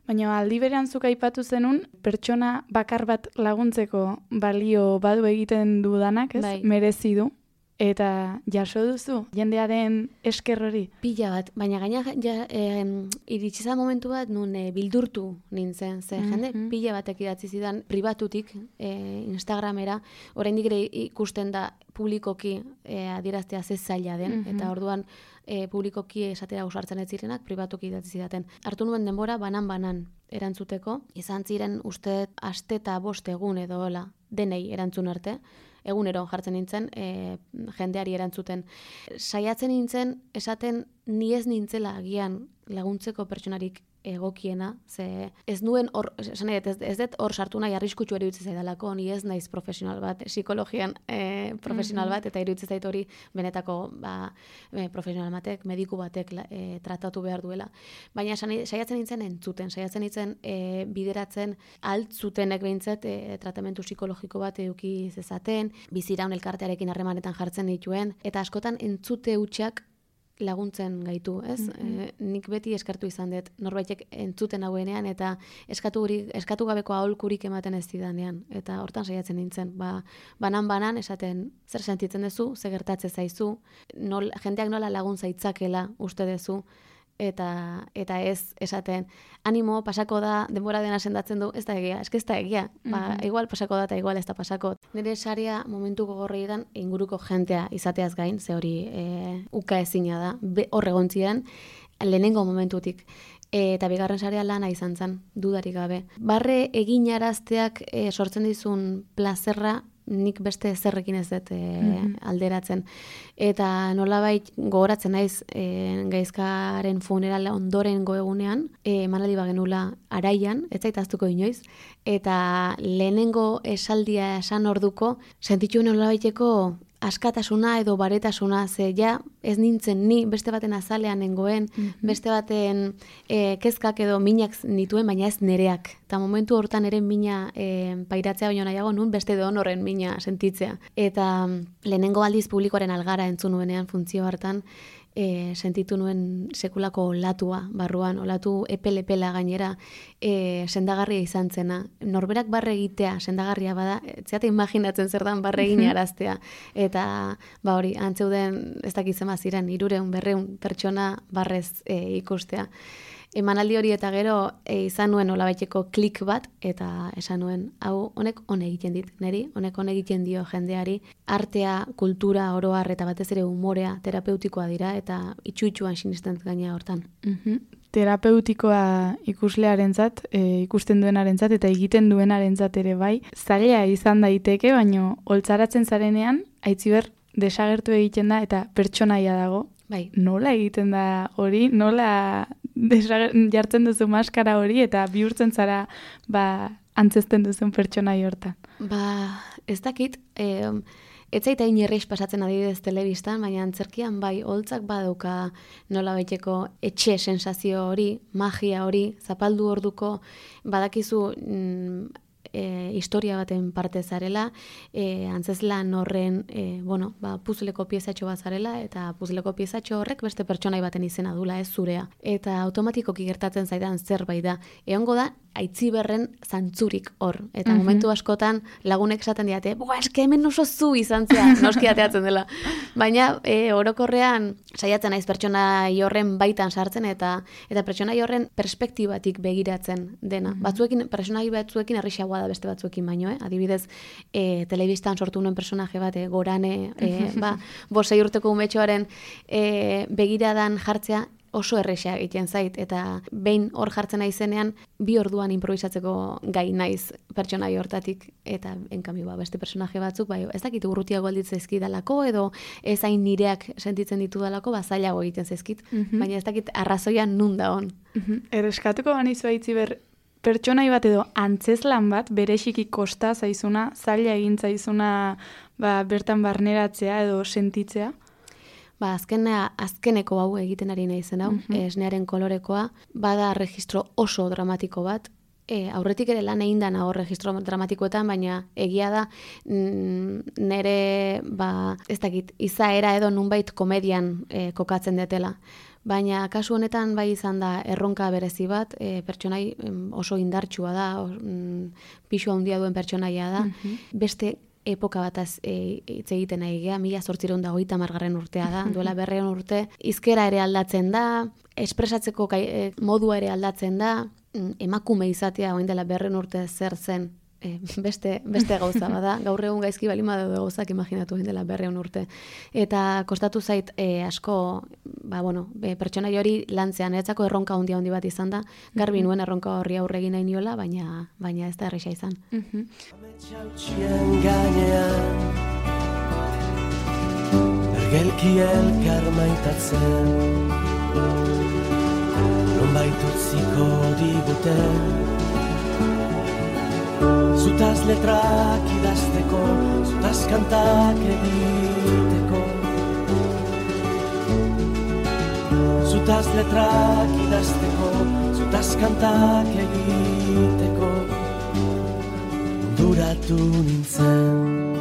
baina aldi berean zuk aipatu zenun, pertsona bakar bat laguntzeko balio badu egiten dudanak, ez? Merezi du. Eta jaso duzu, jendearen esker hori?
Pila bat, baina gaina iritsiza momentu bat nun bildurtu nintzen, ze jende pila batek idatzi zidan pribatutik Instagramera, oraindik ere ikusten da publikoki adieraztea ze zaila den, eta orduan publikoki esatera ausartzen ez zirenak pribatuki idatzi zidaten. Hartu nuen denbora banan erantzuteko, izan ziren uste aste eta 5 egun edo hola, denei erantzun arte, egunero jartzen nintzen, jendeari erantzuten. Saiatzen nintzen, esaten ni ez nintzela agian laguntzeko pertsonarik egokiena, ze ez nuen hor, ez dut hor sartu nahi arriskutsu iruditzen zaidalako, ni ez naiz profesional bat, psikologian profesional bat, eta iruditzen zait hori benetako profesional batek, mediku batek tratatu behar duela. Baina saiatzen nintzen entzuten, saiatzen nintzen bideratzen altzutenek behintzat tratamentu psikologiko bat eduki zezaten, biziraun elkartearekin harremanetan jartzen dituen, eta askotan entzute hutsak laguntzen gaitu, ez? Nik beti eskertu izan dut, norbaitek entzuten hauenean, eta eskatu gabeko aholkurik ematen ez zidanean, eta hortan saiatzen nintzen, banan esaten zer sentitzen duzu, zer gertatzen zaizu, jendeak nola lagun zaitzakela uste duzu, eta ez esaten, animo, pasako da, denbora dena sendatzen du, ez da egia, ez da egia, igual pasako da eta igual ez da pasako. Nire saria momentu gogorreetan inguruko jentea izateaz gain, ze hori uka ezina da, hor egon ziren, lehenengo momentutik. Eta bigarren sarea lana izan zen, dudarik gabe. Barre eginarazteak sortzen dizun plazerra, nik beste zerrekin ez dut alderatzen. Eta nolabait gogoratzen naiz gaizkaren funerala ondorengo egunean, emanaldi bagenula Araian, ez zaitaztuko inoiz, eta lehenengo esaldia esan orduko, sentitu nolabaiteko askatasuna edo baretasuna, ze ja ez nintzen ni beste baten azalean nengoen, beste baten kezkak edo minak nituen, baina ez nereak. Eta momentu hortan ere mina pairatzea baino nahiago nun, beste donorren mina sentitzea. Eta lehenengo aldiz publikoaren algara entzun nuenean funtzio hartan, sentitu nuen sekulako olatua barruan, olatu epel-epela gainera, sendagarria izan zena. Norberak barre egitea sendagarria bada, zeate imaginatzen zer dan barre egin araztea. Eta hori, antzeuden ez dakitzen ziren 300-400 pertsona barrez ikustea. Emanaldi hori eta gero izan nuen olabaiteko klik bat, eta esan nuen, hau honek hone egiten dit, neri, honek hone egiten dio jendeari, artea, kultura, oroar eta batez ere umorea terapeutikoa dira, eta itxu-itxuan sinisten gaina hortan.
Terapeutikoa ikuslearentzat, ikusten duenarentzat eta egiten duenarentzat ere bai, zaila izan daiteke, baino holtzaratzen zarenean, Aitziber desagertu egiten da eta pertsonaia dago.
Bai.
Nola egiten da hori, nola jartzen duzu maskara hori eta bihurtzen zara antzezten duzun pertsonai hortan?
Ez dakit, Ez zaita inerreiz pasatzen adibidez telebistan, baina antzerkian bai, holtzak badauka nola baiteko etxe sensazio hori, magia hori, zapaldu orduko, badakizu historia baten parte zarela, antzezlan horren, puzleko piezatxo bat zarela, eta puzleko piezatxo horrek beste pertsonai baten izena dula, ez zurea. Eta automatikoki gertatzen zaidan zerbait da. Egongo da, Aitziberren zantzurik hor. Eta momentu askotan lagunek esaten diate, eske hemen oso zu izan zea, noski ateatzen dela. Baina orokorrean saiatzen naiz pertsonai horren baitan sartzen eta pertsonai horren perspektibatik begiratzen dena. Batzuekin, pertsonai batzuekin errixagoa da beste batzuekin baino, adibidez, telebistan sortu nuen personaje bat, Gorane, 5 urteko umetxoaren begiradan jartzea, oso erresa egiten zait, eta behin hor jartzen naizenean, 2 orduan improvisatzeko gai naiz pertsonai hortatik, eta enkamio beste personaje batzuk, ez dakit urrutiago alditzen zaizkidalako, edo ez hain nireak sentitzen ditudalako, zailago egiten zaizkit, baina ez dakit arrazoia nun da hon.
Erreskatuko banizu Aitziber, pertsonai bat edo antzezlan bat, berexiki kosta zaizuna, zaila egin zaizuna bertan barneratzea edo sentitzea?
Azkeneko hau egiten ari naizen hau, esnearen kolorekoa, bada registro oso dramatiko bat, aurretik ere lan egin dana hor registro dramatikoetan, baina egia da nere, ez dakit, izaera edo nunbait komedian kokatzen detela. Baina kasu honetan bai izan da erronka berezi bat, pertsonai oso indartsua da, pisu handia duen pertsonaia da, beste epoka bataz hitz egiten nahi gea, 1830 urtea da, duela 200 urte, hizkera ere aldatzen da, espresatzeko modua ere aldatzen da, emakume izatea orain dela 200 urte zer zen, beste gauza bada, gaur egun gaizki balima daude gauzak imaginatu orain dela 200 urte. Eta kostatu zait asko, pertsonai hori lantzean, eretzako erronka handi bat izan da, garbi nuen erronka horri aurre egin nahi niola, baina ez da erresa izan.
Txautxien gainean Ergelki elkar maitatzen Nonbait utziko diguten Zutaz letrak idazteko Zutaz kantak egiteko Zutaz letrak idazteko Zutaz kantak egiteko Duratu nintzen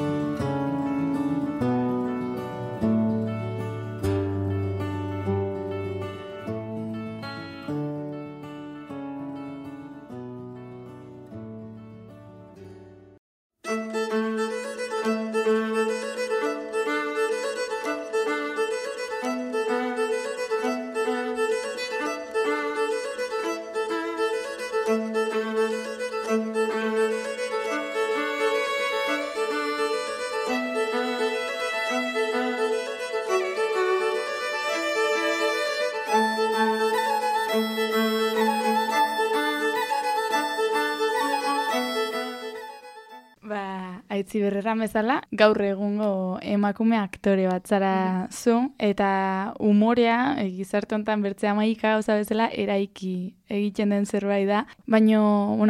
Aitziber erran bezala, gaur egungo emakume aktore bat zara zu, eta umorea, gizarte honetan bertzea maika gauza bezala, eraiki egiten den zerbait da. Baina,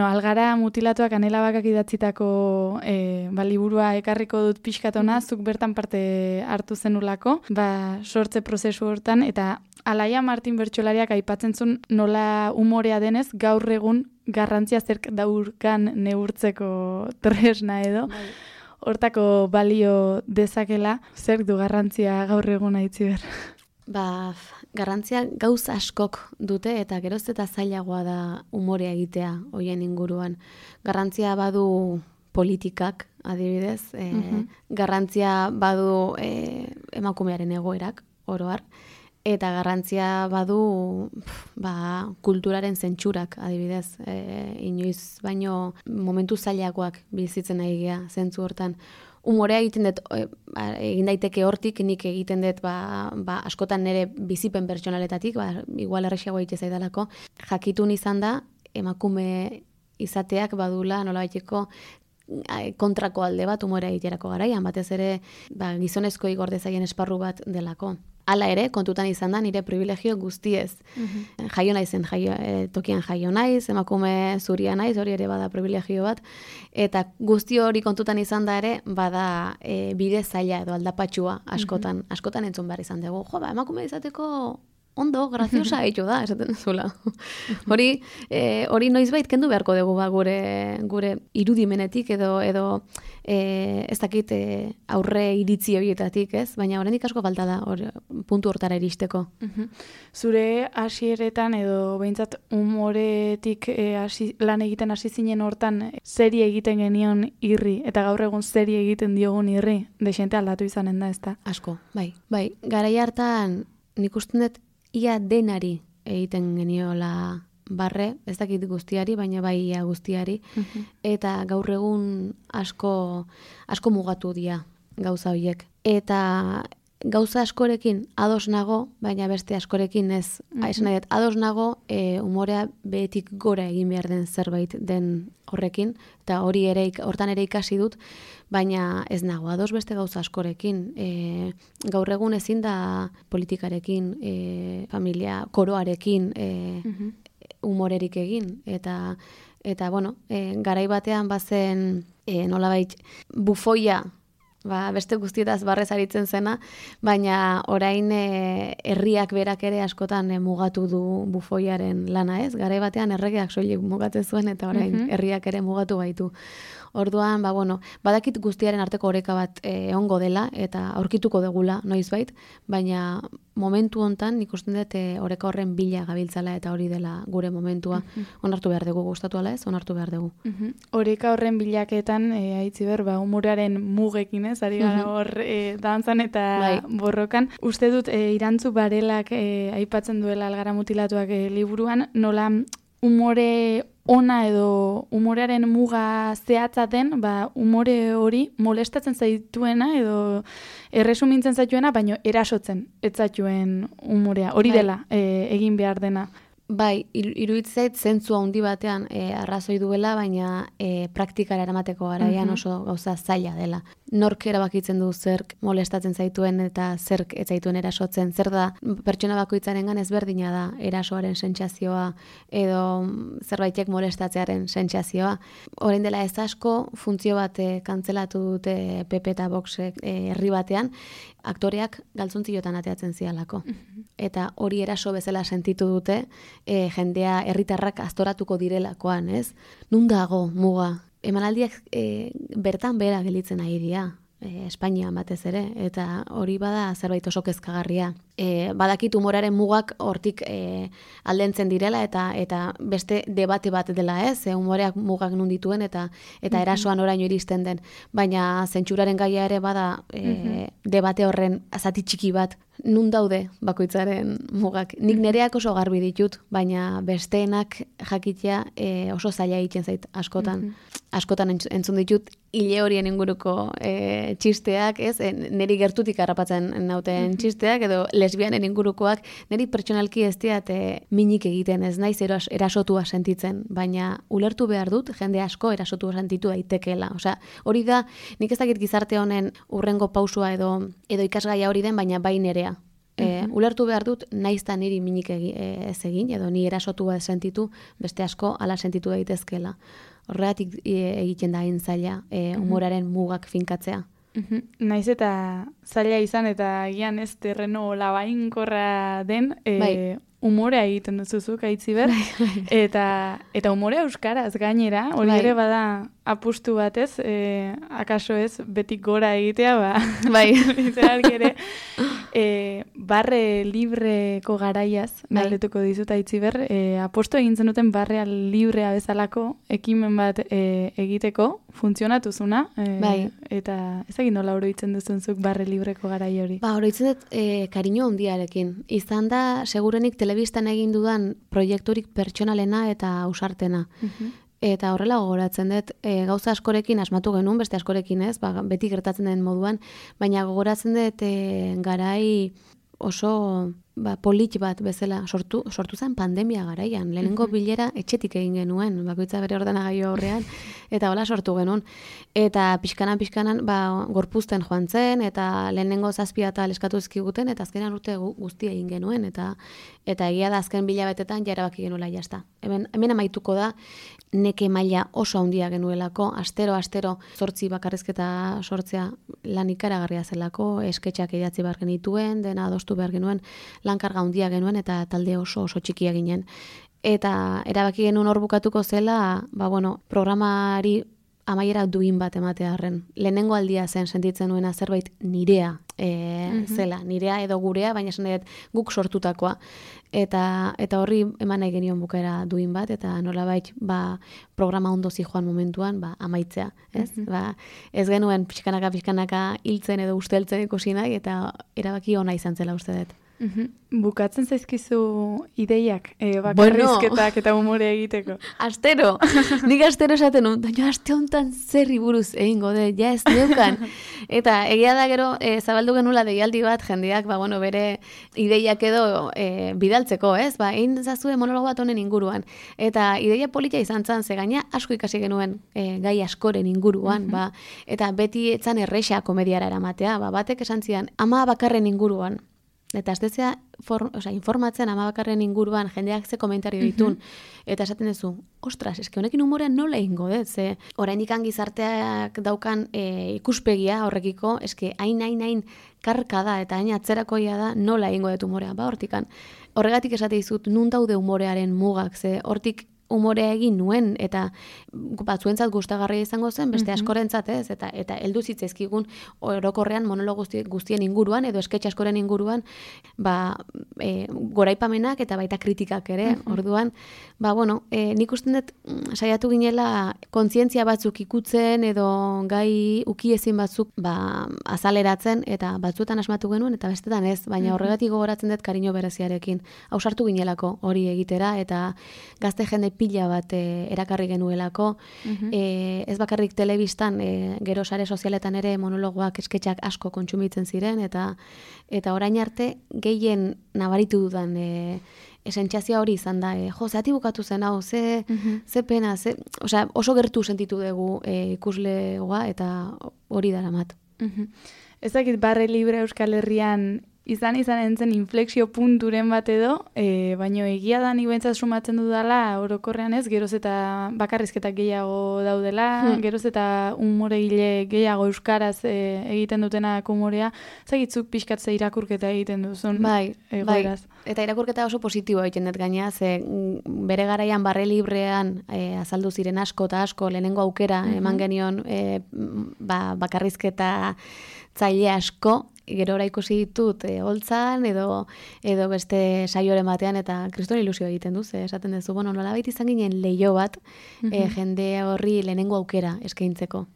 algara mutilatuak anelabakak idatzitako liburua ekarriko dut pixkatona, zuk bertan parte hartu zenulako, sortze prozesu hortan, eta Alaia Martin bertsolariak aipatzen zuen nola umorea denez, gaur egun garrantzia zerk daurkan neurtzeko tresna edo. Hortako balio dezakela, zerk du garrantzia gaur egun Aitziber?
Garrantzia gauz askok dute eta geroz eta zailagoa da umorea egitea hoien inguruan. Garrantzia badu politikak, adibidez, garrantzia badu emakumearen egoerak, oroar, eta garrantzia badu kulturaren zentsurak, adibidez, inoiz baino momentu zailagoak bizitzen nahi gea zentzu hortan. Umorea egiten dut, egin daiteke hortik, nik egiten dut askotan nire bizipen pertsonaletatik, igual erresiago egite zaidalako, jakitun izan da, emakume izateak badula nolabaiteko kontrako alde bat umorea egiterako garaian, batez ere gizonezko igorde zaien esparru bat delako. Hala ere, kontutan izan da nire privilegio guztiez. Jaio naizen, tokian jaio naiz, emakume zuria naiz, hori ere bada privilegio bat, eta guzti hori kontutan izan da ere, bada bide zaila edo aldapatxua askotan entzun behar izan dugu. Jo, emakume izateko ondo, graziosa eitu da, esaten zula. Hori noizbait kendu beharko dugu gure irudimenetik edo ez dakit aurre iritzi horietatik, ez? Baina oraindik asko falta da puntu hortara iristeko.
Zure hasieretan edo behintzat umoretik lan egiten hasi zinen hortan zeri egiten genion irri, eta gaur egun zeri egiten diogun irri, desente aldatu izanen da, ez da?
Asko, bai. Garai hartan nik uste dut ia denari egiten geniola barre, ez dakit guztiari, baina bai ia guztiari, eta gaur egun asko mugatu dira gauza horiek. Eta gauza askorekin ados nago, baina beste askorekin ez. Esan nahi, ados nago umorea behetik gora egin behar den zerbait den horrekin, eta hortan ere ikasi dut, baina ez nago ados beste gauza askorekin. Gaur egun ezin da politikarekin, familia, koroarekin, umorerik egin. Eta bueno, garai batean bazen nolabait bufoia, beste guztietaz barrez aritzen zena, baina orain herriak berak ere askotan mugatu du bufoiaren lana, ez? Garai batean erregeak soilik mugatzen zuen eta orain herriak ere mugatu baitu. Orduan, badakit guztiaren arteko oreka bat egongo dela eta aurkituko degula noizbait, baina momentu hontan nik uste dut oreka horren bila gabiltzala eta hori dela gure momentua. Onartu behar dugu, gustatu ala ez? Onartu behar dugu.
Oreka horren bilaketan, Aitziber, umoraren mugekin ez, ari gara hor dantzan eta borrokan. Uste dut, Irantzu Barelak aipatzen duela Algara mutilatuak liburuan, nola umore ona edo umorearen muga zehatza den, umore hori molestatzen zaituena edo erresumintzen zaituena, baino erasotzen ez zaituen umorea. Hori dela egin behar dena.
Bai, iruditzait zentzu handi batean arrazoi duela, baina praktikara eramateko garaian oso gauza zaila dela. Nork erabakitzen du zerk molestatzen zaituen eta zerk ez zaituen erasotzen. Zer da, pertsona bakoitzarengan ezberdina da erasoaren sentsazioa edo zerbaitek molestatzearen sentsazioa. Orain dela ez asko, funtzio bat kantzelatu dute PP eta Voxek herri batean, aktoreak galtzontziotan ateatzen zialako. Eta hori eraso bezala sentitu dute, jendea herritarrak aztoratuko direlakoan, ez? Nun dago muga? Emanaldiak bertan bera gelitzen ari dira, Espainian batez ere, eta hori bada zerbait oso kezkagarria. Badakit umoraren mugak hortik aldentzen direla eta beste debate bat dela, ez? Umoreak mugak nun dituen eta erasoan oraino iristen den, baina zentsuraren gaia ere bada debate horren zati txiki bat. Nun daude bakoitzaren mugak. Nik nereak oso garbi ditut, baina besteenak jakitea oso zaila egiten zait askotan. Askotan entzun ditut hile horien inguruko txisteak, ez? Neri gertutik harrapatzen nauten txisteak, edo lesbianen ingurukoak, neri pertsonalki ez diat minik egiten, ez naiz erasotua sentitzen, baina ulertu behar dut, jende asko erasotua sentitu daitekeela. Osea, hori da, nik ez dakit gizarte honen urrengo pausua edo ikasgaia hori den, baina bai nerea. Ulertu behar dut, naizta niri minik ez egin, edo ni erasotua sentitu, beste asko ala sentitu daitezkeela. Horregatik egiten da hain zaila, umoraren mugak finkatzea.
Naiz eta zaila izan eta gian ez terreno labainkorra den, umorea egiten duzuzuk, Aitziber, eta umorea euskaraz gainera, hori ere bada apustu batez, akaso ez betik gora egitea, literalki ere, barre libreko garaiaz, galdetuko dizut Aitziber, apostu egin zenuten barrea librea bezalako ekimen bat egiteko, funtzionatuzuna, eta ez egin nola oroitzen duzunzuk barre libreko garai hori?
Oroitzen dut kariño handiarekin. Izan da, segurenik telebistan egin dudan proiekturik pertsonalena eta ausartena. Eta horrela gogoratzen dut, gauza askorekin asmatu genuen, beste askorekin ez, beti gertatzen den moduan, baina gogoratzen dut garai oso polit bat bezala sortu zen pandemia garaian. Lehenengo bilera etxetik egin genuen, bakoitza bere ordenagailu aurrean, eta hola sortu genuen. Eta pixkanan, gorpuzten joan zen, eta lehenengo 7 atal eskatu ezkiguten, eta azkenan urte guztia egin genuen, eta egia da azken bilabetetan jarabaki genuela jazta. Hemen amaituko da, neke maila oso handia genuelako, astero 8 bakarrizketa sortzea lan ikaragarria zelako, esketxak idatzi behar genituen, dena adostu behar genuen, lankarga handia genuen eta talde oso txikia ginen. Eta erabaki genuen hor bukatuko zela, programari amaiera duin bat ematearren. Lehenengo aldia zen sentitzen nuena zerbait nirea zela, nirea edo gurea, baina esan dut guk sortutakoa. Eta horri eman nahi genion bukaera duin bat, eta nolabait programa ondo zijoan momentuan amaitzea. Ez? Ez genuen pixkanaka hiltzen edo usteltzen ikusi nahi, eta erabaki ona izan zela uste dut.
Bukatzen zaizkizu ideiak, bakarrizketak eta umore egiteko.
Astero, nik astero esaten dut, aste honetan zerri buruz egingo dut, ja ez neukan. Eta egia da gero, zabaldu genula deialdi bat, jendeak, bere ideiak edo bidaltzeko, ez? Egin zazue monologo bat honen inguruan. Eta ideia polita izan zan, ze gaina asko ikasi genuen gai askoren inguruan, eta beti etzan erresa komediara eramatea, batek esan zian, 10 bakarren inguruan. Eta ez dezea informatzen 10 bakarren inguruan jendeak ze komentario ditun. Eta esaten duzu, ostras, eske honekin humorean nola egingo dut, ze oraindik gizarteak daukan ikuspegia horrekiko, eske hain karka da eta hain atzerakoia da nola egingo dut humorea, hortikan. Horregatik esate dizut, nun daude humorearen mugak, ze hortik umorea egin nuen, eta batzuentzat gustagarria izango zen, beste askorentzat ez, eta heldu zitzaizkigun orokorrean monologo guztien inguruan, edo esketxe askoren inguruan, goraipamenak eta baita kritikak ere, orduan, nik usten dut saiatu ginela kontzientzia batzuk ikutzen, edo gai ukiezin batzuk azaleratzen, eta batzuetan asmatu genuen, eta bestetan ez, baina horregatik gogoratzen dut kariño bereziarekin. Hausartu ginelako hori egitera, eta gazte jende pila bat erakarri genuelako, ez bakarrik telebistan, gero sare sozialetan ere monologoak esketxak asko kontsumitzen ziren, eta orain arte gehien nabaritu dudan esentzazioa hori izan da, zehati bukatu zen hau, ze pena, oso gertu sentitu dugu ikuslegoa, eta hori daramat.
Ez dakit barre libre Euskal Herrian izan entzen inflexio punturen bat edo, baino egia da nik behintzat sumatzen dudala orokorrean ez, geroz eta bakarrizketak gehiago daudela, geroz eta humoregile gehiago euskaraz egiten dutenak humorea, zagitzuk pixkatze irakurketa egiten duzun.
Bai. Eta irakurketa oso positiboa egiten dut gaina, ze bere garaian barre librean azaldu ziren asko eta asko, lehenengo aukera eman genion bakarrizketa zaile asko, gero ikusi ditut holtzan edo beste saioren batean, eta kriston ilusio egiten duz, esaten duzu, nolabait izan ginen leiho bat jende horri lehenengo aukera eskaintzeko.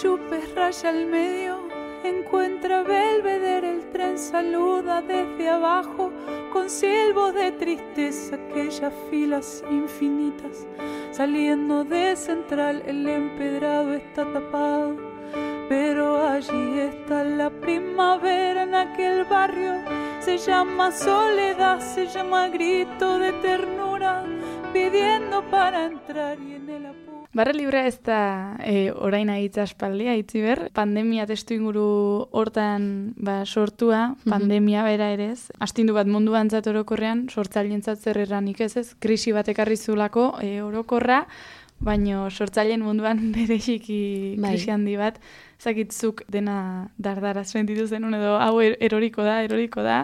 Yupes raya al medio, encuentra Belvedere, el tren saluda desde abajo con silbos de tristeza, aquellas filas infinitas. Saliendo de Central el empedrado está tapado, pero allí está la primavera en aquel barrio. Se llama soledad, se llama grito de ternura, pidiendo para entrar y en el apuro.
Barre librea ez da orain agitza aspaldia, Itziber, pandemia testu inguru hortan sortua, pandemia bera ere ez, astindu bat munduan zat orokorrean, sortzailentzat zer erranik ez, krisi bat ekarri zulako orokorra, baino sortzaileen munduan bereziki krisi handi bat, zakitzuk dena dardaraz sentitu zenun edo hau eroriko da,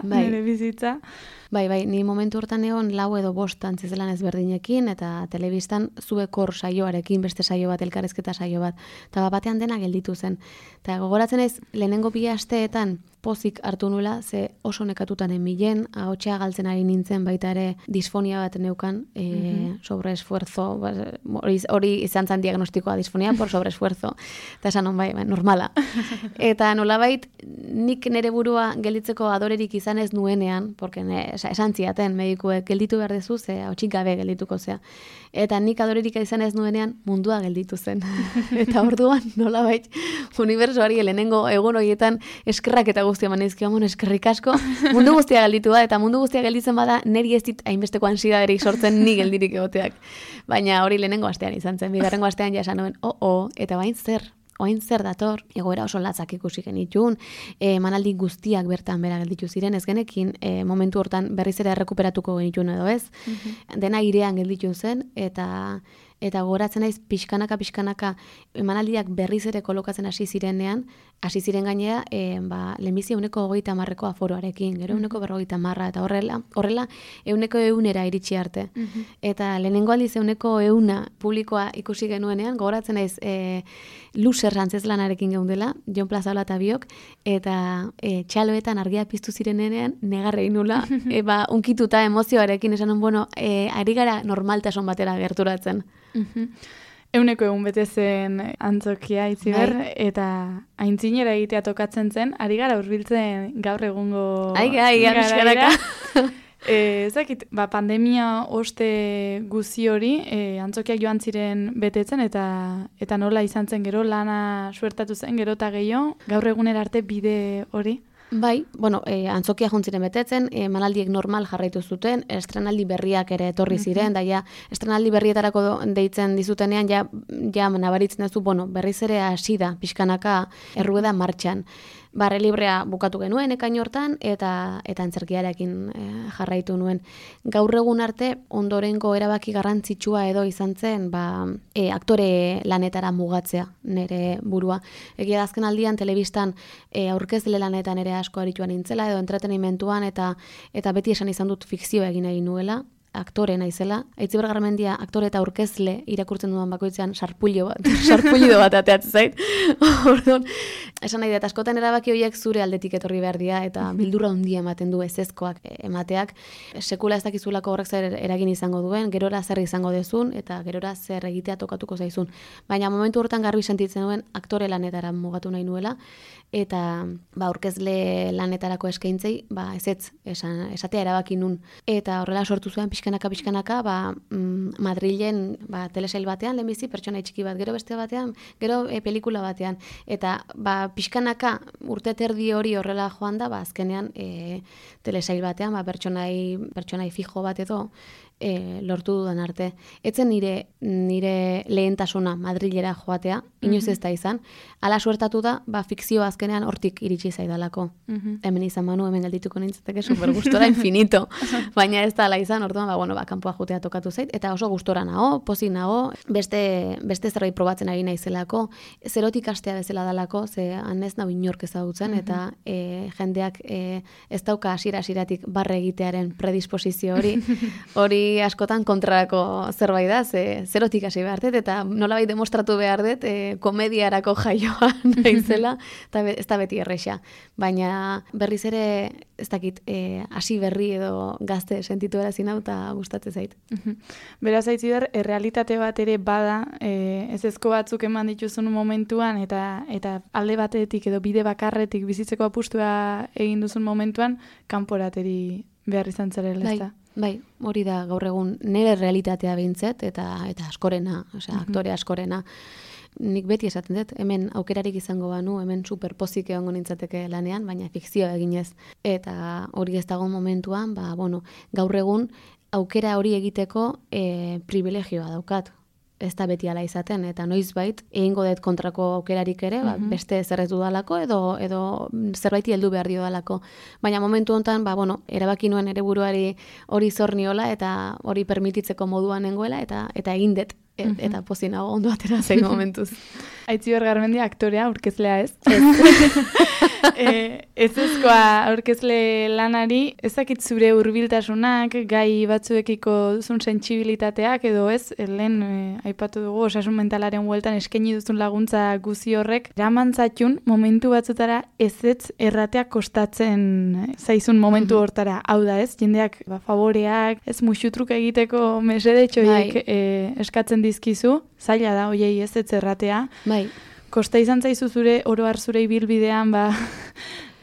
nire bizitza.
Bai, ni momentu hortan egon 4 edo 5 antzezelan ezberdinekin, eta telebistan zuekor saioarekin, beste saio bat, elkarrezketa saio bat, eta batean dena gelditu zen. Eta gogoratzen ez, lehenengo 2 asteetan, pozik hartu nula, ze oso nekatutan emilen, ahotsa galtzen ari nintzen baita ere disfonia bat neukan, sobreesfuerzo, hori izan zan diagnostikoa, disfonia por sobreesfuerzo, eta esan bai, normala. Eta nolabait, nik nere burua gelditzeko adorerik izan ez nuenean, porque esan ziaten medikuek gelditu behar dezu, ze ahotsik gabe geldituko zea. Eta nik adorerik izan ez nuenean mundua gelditu zen. Eta orduan nolabait, unibertsoari lehenengo egun horietan eskerrak eta guztia manizkio, eskerrik asko, mundu guztia gelditu da, eta mundu guztia gelditzen bada, neri ez dit hainbesteko ansidaderik sortzen ni geldirik egoteak. Baina hori lehenengo astean izan zen, bigarrengo astean ja esan nuen, eta bain zer dator, egoera oso latzak ikusi genitun, manaldi guztiak bertan bera gelditu ziren, ez genekin momentu hortan berriz ere errekuperatuko genitun edo ez, dena irean gelditu zen, eta gogoratzen naiz pixkanaka emanaldiak berriz ere kolokatzen hasi ziren gainera, lehenbizi 130% aforoarekin, gero 150% eta horrela 100% iritsi arte. Eta lehenengo aldiz 100% publikoa ikusi genuenean, gogoratzen naiz Luzer antzezlanarekin geundela, Jon Plazaola eta biok, eta txaloetan argia piztu zirenean negarrei nula, unkituta emozioarekin esan ari gara normaltasun batera gerturatzen.
100% bete zen antzokia Itziber, eta aintzinera egitea tokatzen zen, ari gara hurbiltzen gaur egungo
garaira.
Ezakit, pandemia oste guzi hori, antzokiak joan ziren betetzen, eta nola izan zen gero, lana suertatu zen, gero eta gehiago, gaur egunera arte bide hori?
Bai, antzokia jontziren betetzen, emanaldiek normal jarraitu zuten, estrenaldi berriak ere etorri ziren, da estrenaldi berrietarako deitzen dizutenean, ja nabaritzen duzu, berriz ere hasi da, pixkanaka errueda martxan. Barre librea bukatu genuen ekain hortan, eta antzerkiarekin jarraitu nuen. Gaur egun arte, ondorengo erabaki garrantzitsua edo izan zen, aktore lanetara mugatzea nere burua. Egia da azken aldian, telebistan aurkezle lanetan ere asko arituan nintzela, edo entretenimentuan, eta beti esan izan dut fikzioa egin egin nuela, aktore naizela. Itziber Garmendia aktore eta aurkezle irakurtzen dudan bakoitzean sarpullido bat ateatzen zait. Orduan, esan nahi dut, askotan erabaki horiek zure aldetik etorri behar dira, eta bildurra handia ematen du ezezkoak emateak. Sekula ez dakizulako horrek zer eragin izango duen, gerora zer izango dezun, eta gerora zer egitea tokatuko zaizun. Baina momentu hortan garbi sentitzen duen aktore lanetara mugatu nahi nuela, eta aurkezle lanetarako eskaintzei, ezetz esatea erabaki nun. Eta horrela sortu zuen pixkanaka, Madrilen telesail batean, lehenbizi pertsona txiki bat, gero beste batean, gero pelikula batean. Eta pixkanaka urte terdi hori horrela joan da, azkenean telesail batean, pertsonai fijo bat edo, lortu dudan arte. Etzen nire lehentasuna Madrilera joatea, inoiz ez da izan. Hala suertatu da, fikzio azkenean hortik iritsi zaidalako. Hemen izan manu, hemen geldituko nintzateke super gustora infinito. Baina ez da ala izan, orduan, kanpoa jotea tokatu zait, eta oso gustora nago, pozik nago, beste zerbait probatzen ari naizelako, zerotik astea bezala dalako, ze hanez nahi inork ezagutzen, eta jendeak ez dauka hasieratik barre egitearen predisposizio hori askotan kontrarako zerbait da, zerotik hasi behar dut, eta nolabait demostratu behar dut, komediarako jaioa naizela, eta ez da beti erresa. Baina berriz ere, ez dakit, hasi berri edo gazte sentitu erazin hau, eta gustatzen zait.
Beraz, Itziber, errealitate bat ere bada, ezezko batzuk eman dituzun momentuan, eta alde batetik edo bide bakarretik bizitzeko apustua egin duzun momentuan, kanporateri behar izan zarela, ez da?
Bai, hori da gaur egun nire realitatea behintzet, eta askorena, aktore askorena. Nik beti esaten dut, hemen aukerarik izango banu, hemen superpozik egongo nintzateke lanean, baina fikzioa eginez. Eta hori ez dago momentuan, gaur egun aukera hori egiteko privilegioa daukat. Ez da beti ala izaten, eta noizbait egingo dut kontrako aukerarik ere, beste zerrez dudalako edo zerbaiti heldu behar dio dalako. Baina momentu honetan, erabaki nuen ere buruari hori zor niola, eta hori permititzeko moduan nengoela, eta egin dut. eta pozinago ondo atera zein momentuz.
Aitziber Garmendia aktorea, aurkezlea ez. Ezezkoa aurkezle lanari, ezakit zure hurbiltasunak, gai batzuekiko duzun sentsibilitateak edo ez, lehen aipatu dugu osasun mentalaren hueltan eskaini duzun laguntza guzi horrek, eramantzatxun momentu batzutara ezetz erratea kostatzen zaizun momentu hortara. Hau da ez, jendeak favoreak, ez musutruk egiteko mesedetxoiek eskatzen dizkizu, zaila da hoiei ezetz erratea. Kosta izan zaizu zure oroar zure ibilbidean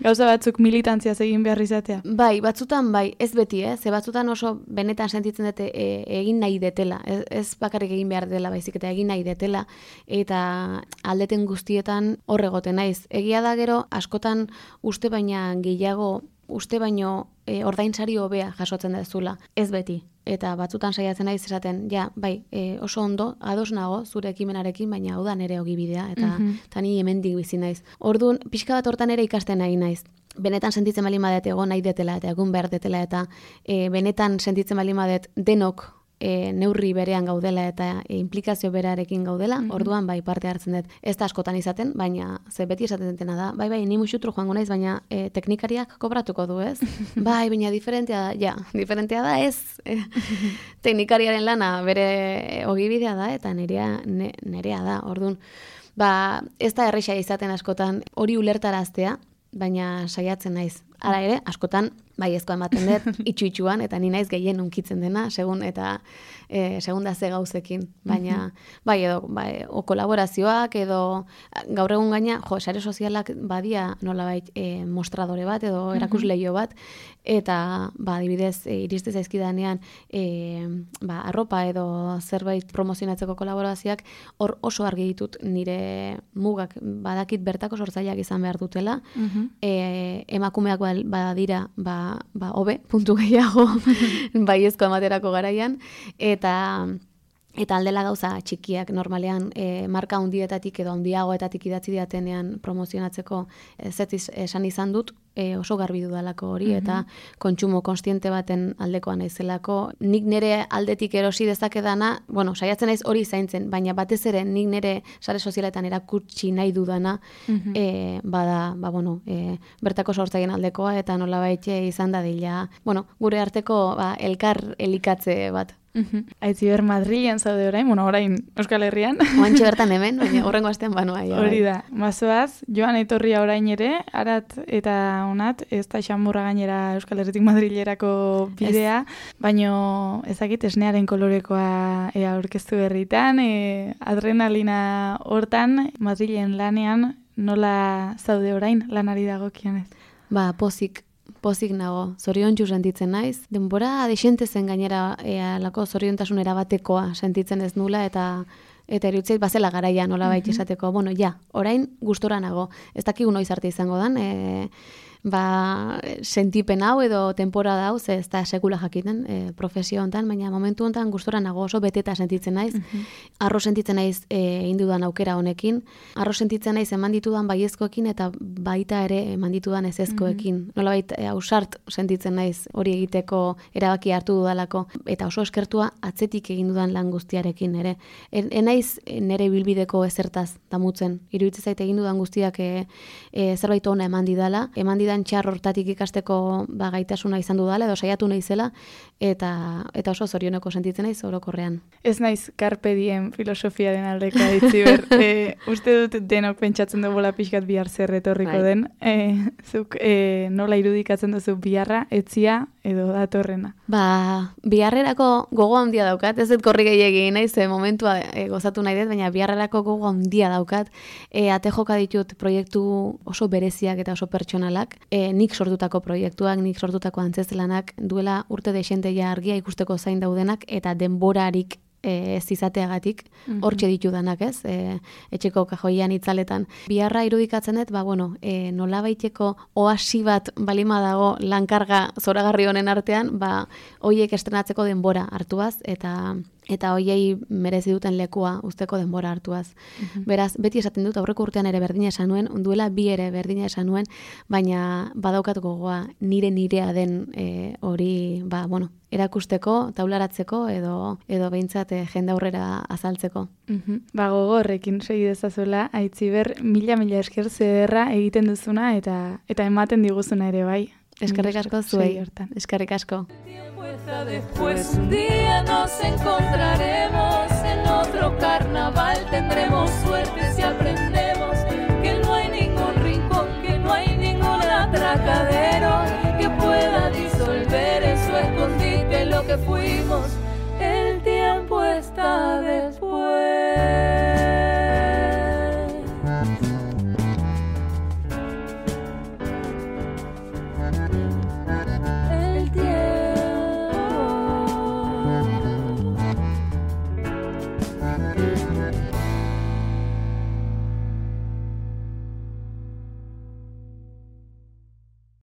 gauza batzuk militantziaz egin behar izatea?
Bai, batzutan bai, ez beti, ze batzutan oso benetan sentitzen dute egin nahi detela, ez bakarrik egin behar dela baizik eta egin nahi detela, eta aldeten guztietan horregoten naiz. Egia da gero, askotan uste baino ordainsari hobea jasotzen dezula, ez beti. Eta batzutan saiatzen naiz esaten, oso ondo, ados nago zure ekimenarekin, baina hau da nere ogibidea, eta ni hemendik bizi naiz. Orduan, pixka bat hortan ere ikasten nahi naiz. Benetan sentitzen baldin badet egon nahi detela, eta egun behar detela, eta benetan sentitzen baldin badet denok neurri berean gaudela eta implikazio berarekin gaudela, orduan parte hartzen dut. Ez da askotan izaten, baina ze beti esaten dutena da, ni musutru joango naiz, baina teknikariak kobratuko du, ez? Baina diferentea da, ez? Teknikariaren lana bere ogibidea da, eta nerea da, orduan. Ez da erresa izaten askotan hori ulertaraztea, baina saiatzen naiz. Hala ere, askotan baiezkoa ematen dut, itxu-itxuan, eta ni naiz gehien unkitzen dena, segun da ze gauzekin. Baina, o kolaborazioak, edo gaur egun gaina, sare sozialak badia nolabait mostradore bat, edo erakusleio bat, eta, adibidez, iriste zaizkidanean, arropa edo zerbait promozionatzeko kolaborazioak, hor oso argi ditut nire mugak badakit bertako sortzaileak izan behar dutela, emakumeak badira, hobe, puntu gehiago, baiezko amaterako garaian, eta aldela gauza txikiak normalean marka handietatik edo handiagoetatik idatzi diatenean promozionatzeko zetziz esan izan dut, oso garbi dudalako hori, eta kontsumo konstiente baten aldekoa naizelako. Nik nire aldetik erosi dezakedana, saiatzen naiz hori zaintzen, baina batez ere nik nire sare sozialetan erakutsi nahi dudana, bertako sortzaileen aldekoa, eta nolabait izan dadila, gure arteko elkar elikatze bat.
Aitziber Madrilen zaude orain Euskal Herrian.
Oantxe bertan hemen, baina horrengo astean banoa.
Hori da, mazoaz, joan etorria orain ere, arat eta onat, ez da xamurra gainera Euskal Herritik Madrilerako bidea, baino ezakit esnearen kolorekoa aurkeztu berritan, adrenalina hortan, Madrilen lanean, nola zaude orain lanari dagokionez?
Pozik nago, zoriontsu sentitzen naiz. Denbora desente zen gainera alako zoriontasun erabatekoa sentitzen ez nula, eta erutzeit bazela garaia nolabait esateko. Orain gustora nago. Ez dakigu noiz arte izango dan, sentipen hau edo temporada hau, ez da sekula jakiten profesio hontan, baina momentu hontan gustora nago, oso beteta sentitzen naiz. Arro sentitzen naiz indudan aukera honekin. Arro sentitzen naiz eman ditudan baiezkoekin eta baita ere eman ditudan ezezkoekin. Nolabait ausart sentitzen naiz hori egiteko erabaki hartu dudalako, eta oso eskertua atzetik egin dudan lan guztiarekin ere. Enaiz nere bilbideko ezertaz damutzen. Iruditzen zait egin dudan guztiak zerbait ona eman didan txar hortatik ikasteko gaitasuna izan dudala, edo saiatu naizela, eta oso zorioneko sentitzen naiz orokorrean.
Ez naiz carpe diem filosofiaren aldeko Aitziber. Uste dut denok pentsatzen dugu pixkat bihar zer etorriko den. Zuk nola irudikatzen duzu biharra, etzia edo datorrena?
Biharrerako gogo handia daukat, ez dut korri gehiegi naiz, momentua gozatu nahi dut, baina biharrerako gogo handia daukat. Ate joka ditut proiektu oso bereziak eta oso pertsonalak, nik sortutako proiektuak, nik sortutako antzezlanak, duela urte desenteia argia ikusteko zain daudenak, eta denborarik ez izateagatik, hortxe ditudanak, ez? Etxeko kajoian itzaletan. Biharra irudikatzen dut, nolabaiteko oasi bat balima dago lankarga zoragarri honen artean, hoiek estrenatzeko denbora hartuaz, eta eta hoiei merezi duten lekua usteko denbora hartuaz. Beraz, beti esaten dut, aurreko urtean ere berdina esan nuen, duela 2 ere berdina esan nuen, baina badaukat gogoa nirea den hori, erakusteko, taularatzeko edo behintzat jende aurrera azaltzeko.
Gogorrekin segi dezazuela, Aitziber, mila esker zederra egiten duzuna eta ematen diguzuna ere bai.
Eskerrik asko zuei, eskerrik asko.
Después un día nos encontraremos en otro carnaval, tendremos suerte si aprendemos que no hay ningún rincón, que no hay ningún atracadero que pueda disolver en su escondite lo que fuimos. El tiempo está después.